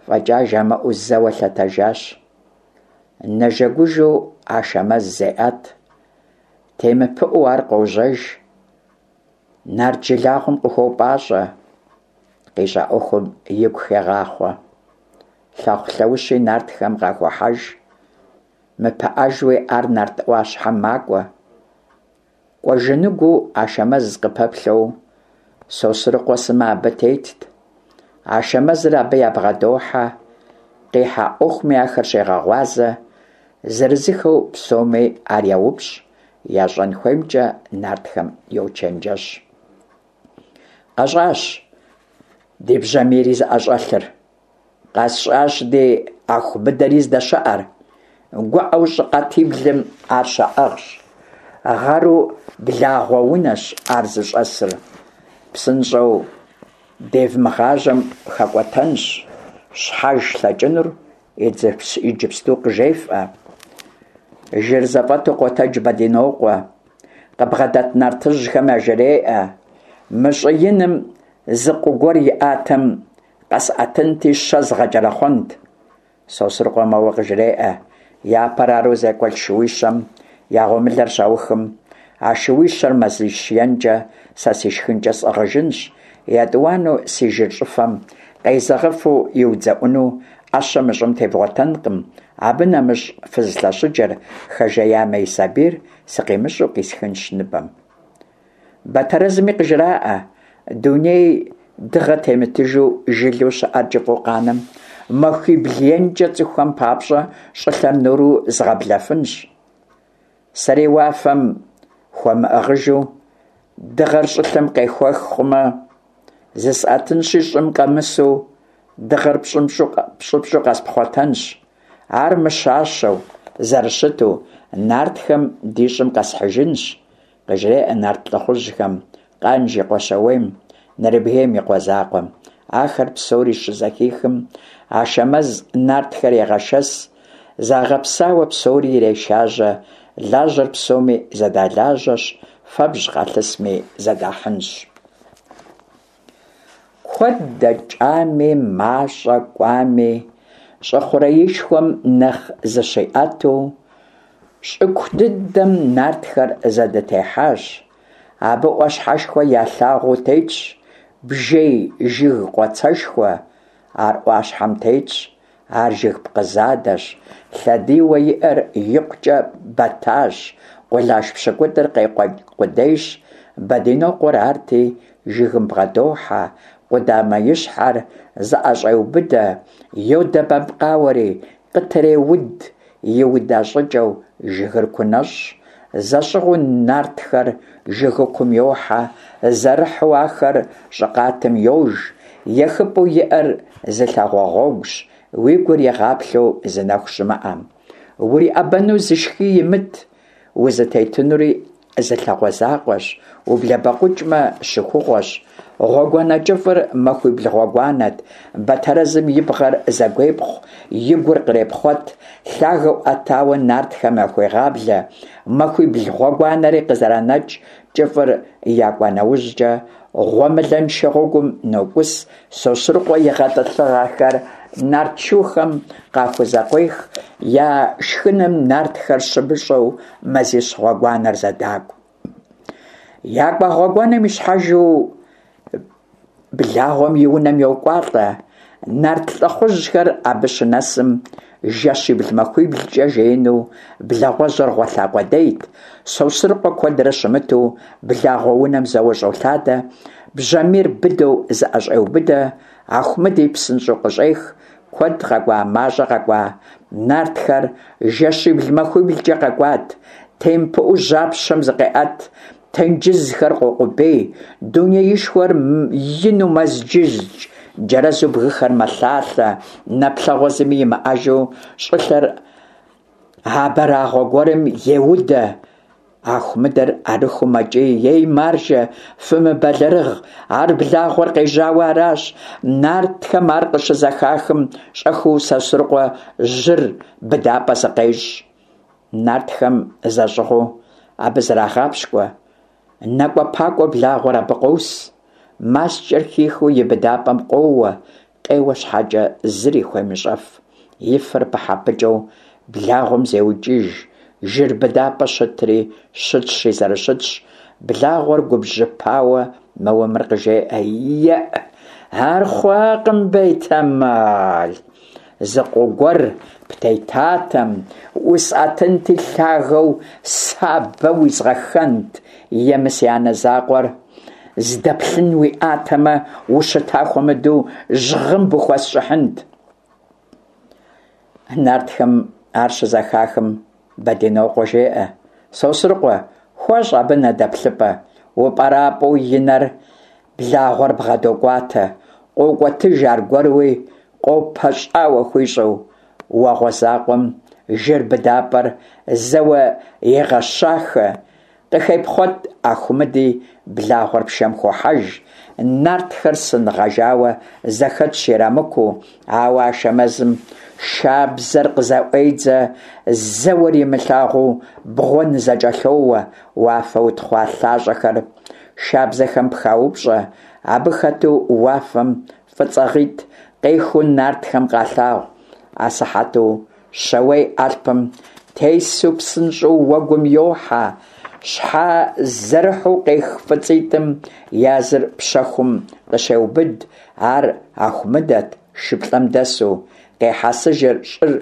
фӏэкӏа жамыӏэу зэуэ лъэтэжащ. Нэжэгужэу Ашэмэз зеӏэт, темыпыӏэу ар къожьэж. Нарт жылагъуэм къыхуопӏащӏэ, къищӏа ӏуэхум игу хегъахъуэ. Лъэхъу-лъэущи нартхэм къахохьэж, мыпыӏэжуи ар нарт ӏуащхьэм макӏуэ. Кӏуэжыныгуу Ашэмэз къыпэплъэу Сосрыкъуэ сымэ абы тетт. Ашэмэзыр абы ябгъэдохьэ, къихьа ӏуэхуми ахэр щегъэгъуазэ, зырызыххэу псоми ар йоупщӏ, ящӏэн хуеймкӏэ нартхэм йочэнджэщ. Къэщӏащ ди бжьамийри зыӏэщӏэлъыр, къэсщӏащ ди Аху быдэри здэщыӏэр. Гуӏэу щӏы къатиблым ар щаӏыгъщ. Гъэру благъуэ унэщ ар зыщӏэсыр. Псынщӏэу девмыгъажьэм хэкӏуэтэнщ, щхьэж лъэкӏынур иджыпсту къыжефӏэ. Жыр зэфӏэту къотэдж Бэдинокъуэ, къыбгъэдэт нартыжьхэм яжреӏэ: Мы щӏы иным зы къу гуэр иӏатэм, къэсӏэтынти щэ згъэкӏэрэхъуэнт. Сосрыкъуэ моуэ къыжреӏэ: Япэр ару зекӏуэлӏ шууищэм я гъуэмылэр щаухым, а шууищэр мазищ енкӏэ сэ си шхынкӏэ сӏыгъыжынщ. Етӏуанэу си жыр щӏыфэм къезэгъыфу иудзэӏуну ӏэщэ мы щӏым тевгъуэтэнкъым. Абы нэмыщӏ фыз лъэщыджэр хэжеямэ и сабийр сыкъимыщӏэу къисхынщ ныбэм. Бэтэрэзми къыжраӏэ: Дуней дыгъэ темытыжу жылэу щыӏэр кӏыфӏу къанэм, махуибл енкӏэ цӏыхухэм папщӏэ щӏылъэр нуру згъэблэфынщ. Сэри уафэм хуэмыӏыгъыжу дыгъэр щӏылъэм къехуэх хъумэ, зысӏэтынщи щӏым къэмысу дыгъэр пщӏыпщӏу къэспхъуэтэнщ. Ар мыщащэу, зэрыщыту, нартхэм ди щӏым къэсхьыжынщ, къыжреӏэ нарт лӏыхъужьхэм Къанж и къуэ Щауейм, Нэрыбгейм и къуэ закъуэм. Ахэр псори щызэхихым, Ашэмэз нартхэр егъэшэс, загъэпсауэ псори ирешажьэ, лажьэр псоми зэдалажьэщ, фэбжь къалъысми зэдахьынщ. Куэд дэкӏами, мащӏэ кӏуами, щӏы хъуреишхуэм нэхъ зыщиӏэту, щӏыку дыдэм нартхэр зэдытехьащ. Абы ӏуащхьэшхуэ ялъагъуу тетщ, бжей жыг къуацэшхуэ. Ар ӏуащхьэм тетщ, ар жыг пкъы задэщ, лъэдийуэ иӏэр икъукӏэ бэтащ, къулаш пщыкӏутӏыр къекъуэкӏ къудейщ. Бэдинокъуэр арти, жыгым бгъэдохьэ, къудамэ и щхьэр зыӏэщӏеубыдэ, йодэбэпкъауэри, къытреуд, иуда щӏыкӏэу жыгыр кунэщӏщ. Зэщӏыгъуу нартхэр жыгыкум йохьэ, зэрыхьу ахэр щӏы къатым йож. Ехыпӏэу иӏэр зы лъагъуэ гъуэгущ, уи гур игъаплъэу зы нэху щымыӏэм. Уриӏэбэну зы шхий имыт, узытетынури зы лъагъуэ закъуэщ, ублэбэкъукӏмэ, щыхугъуэщ. Гъуэгуанэ кӏыфӏыр махуибл гъуэгуанэт. Бэтэрэзым и бгъэр зэгуепхъу, и гур кърепхъуэт, лъагэу ӏэтауэ нартхэм яхуегъаблэ. Махуибл гъуэгуанэри къызэранэкӏ, кӏыфӏыр якӏуа нэужькӏэ, гъуэмылэншэ гъуэгум нокӏус. Сосрыкъуэ и гъэтӏылъыгъэхэр нарт шухэм къахузэкъуех, я шхыным нартхэр щымыщӏэу мазищ гъуэгуанэр зэдакӏу. Якӏуа гъуэгуанэм ищхьэжу благъуэм и унэм йокӏуалӏэ. Нарт лӏыхъужьхэр абы щынэсым, жэщибл-махуиблкӏэ жеину благъуэжьыр гъуэлъа къудейт. Сосрыкъуэ куэдрэ щымыту благъуэ унэм зэуэ щӏолъадэ, бжьамийр быдэу зыӏэщӏеубыдэ, Ахумыди псынщӏэу къыщӏех. Куэд къэкӏуа, мащӏэ къэкӏуа, нартхэр жэщибл-махуиблкӏэ къэкӏуат. Темыпыӏэу жьапщэм зыкъеӏэт, тенджызхэр къокъубей, дунеишхуэр ину мэзджыздж, джэрэзу бгыхэр мэлъалъэ, нэплъэгъуэ зыми имыӏэжу щӏылъэр абрагъуэ гуэрым еудэ. Ахумыдэр арыххэу мэкӏий: Ей, маржэ, фымыбэлэрыгъ, ар благъуэр къежьауэ аращ. Нартхэм ар къыщызэхахым, щӏэхыу Сосрыкъуэ жьыр быдапӏэ зыкъещӏ. Нартхэм зэщӏыгъуу абы зрагъапщкӏуэ. Накӏуэпакӏуэу благъуэр абы къос. маскӏэр хихыу и быдапӏэм къоуэ, къеуэ щхьэкӏэ зыри хуемыщӏэф. И фэр пыхьэ-пыкӏыу благъуэм зеукӏыж, жыр быдапӏэ щытри щытщи зэрыщытщ. Благъуэр губжьыпауэ мэуэ мыр къыжеӏэ: «Еӏ, ар хъуакъым, бетэмал, зы къыу гуэр птетатэм, усӏэтынти лъагэу сабэ уизгъэхэнт, е мы си анэ закъуэр здэплъын уиӏатэмэ, ущыта хуэмыдэу жьгъымб ухуэсщӏыхьынт». Нартхэм ар щызэхахым, Бэдынокъуэ жеӏэ: «Сосрыкъуэ, хуэщӏ абы нэдэплъыпӏэ». Упӏэрапӏэу и нэр благъуэр бгъэдокӏуатэ, къокӏуэтыж аргуэруи, къопэщӏауэ хуищӏу. Уэгъуэ закъуэм жыр быдапӏэр зэуэ егъэщахэ, къыхепхъуэт Ахумыди, благъуэр пшэм хохьэж. Нартхэр сын гъэжауэ зэхэтщ ирамыкуу, ауэ Ашэмэзым шабзэр къызэӏуедзэ, зэуэр имылъагъуу бгъуэ нызэкӏэлъоуэ, уафэ утхъуа лъащӏэхэр шабзэхэм пхаупщӏэ. Абы хэту уафэм фӏыцӏагъитӏ къехыу нартхэм къалъагъу. Асыхьэту Щауей алъпым тесу псынщӏэу уэгум йохьэ. Щхьэ зэрыхьу къех фӏыцӏитӏым языр пщэхум къыщеубыд, ар Ахумыдэт, шыплӏэм дэсу, къехьэсыжыр щӏыр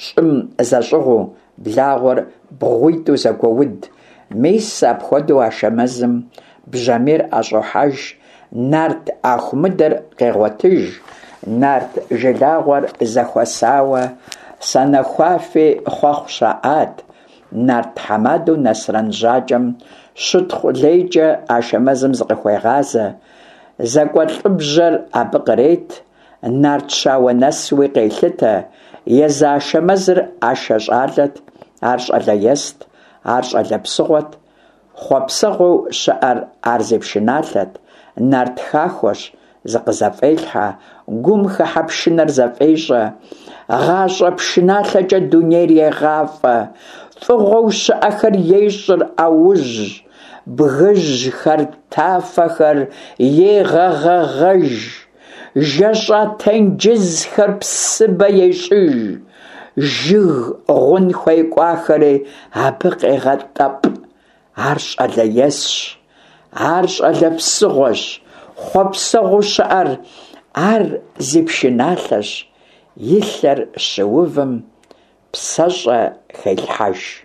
щӏым зэщӏыгъуу, благъуэр бгъуитӏу зэгуоуд. Мис апхуэдэу Ашэмэзым бжьамийр ӏэщӏохьэж, нарт Ахумыдэр къегъуэтыж. Нарт жылагъуэр зэхуэсауэ санэхуафи хъуэхъу щаӏат. Нарт тхьэмадэу Насрэн Жьакӏэм щытхъу лейкӏэ Ашэмэзым зыкъыхуегъазэ, зекӏуэлӏыбжьэр абы кърет, нарт щауэ нэсуи къелъытэ. Езы Ашэмэзыр Ашэ щӏалэт, ар щӏалэ ест, ар щӏалэ псыгъуэт, хъуэпсэгъуэу щыӏэр ар зи пшыналъэт, нарт хахуэщ, зыкъызэфӏелъхьэ, гум хыхьэ пшынэр зэфӏещӏэ, гъащӏэ пшыналъэкӏэ дунейр егъафӏэ, фӏыгъуэу щыӏэхэр ещӏыр ӏэужь, бгыжьхэр, тафэхэр егъэгъэгъэж, жэщӏа тенджызхэр псыбэ ещӏыж, жыг гъун хуекӏуахэри абы къегъэтӏэпӏ. Ар щӏалэ есщ, ар щӏалэ псыгъуэщ, хъуэпсэгъуэу щыӏэр ар зи пшыналъэщ, и лъэр щыувым псэщӏэ хелъхьэж.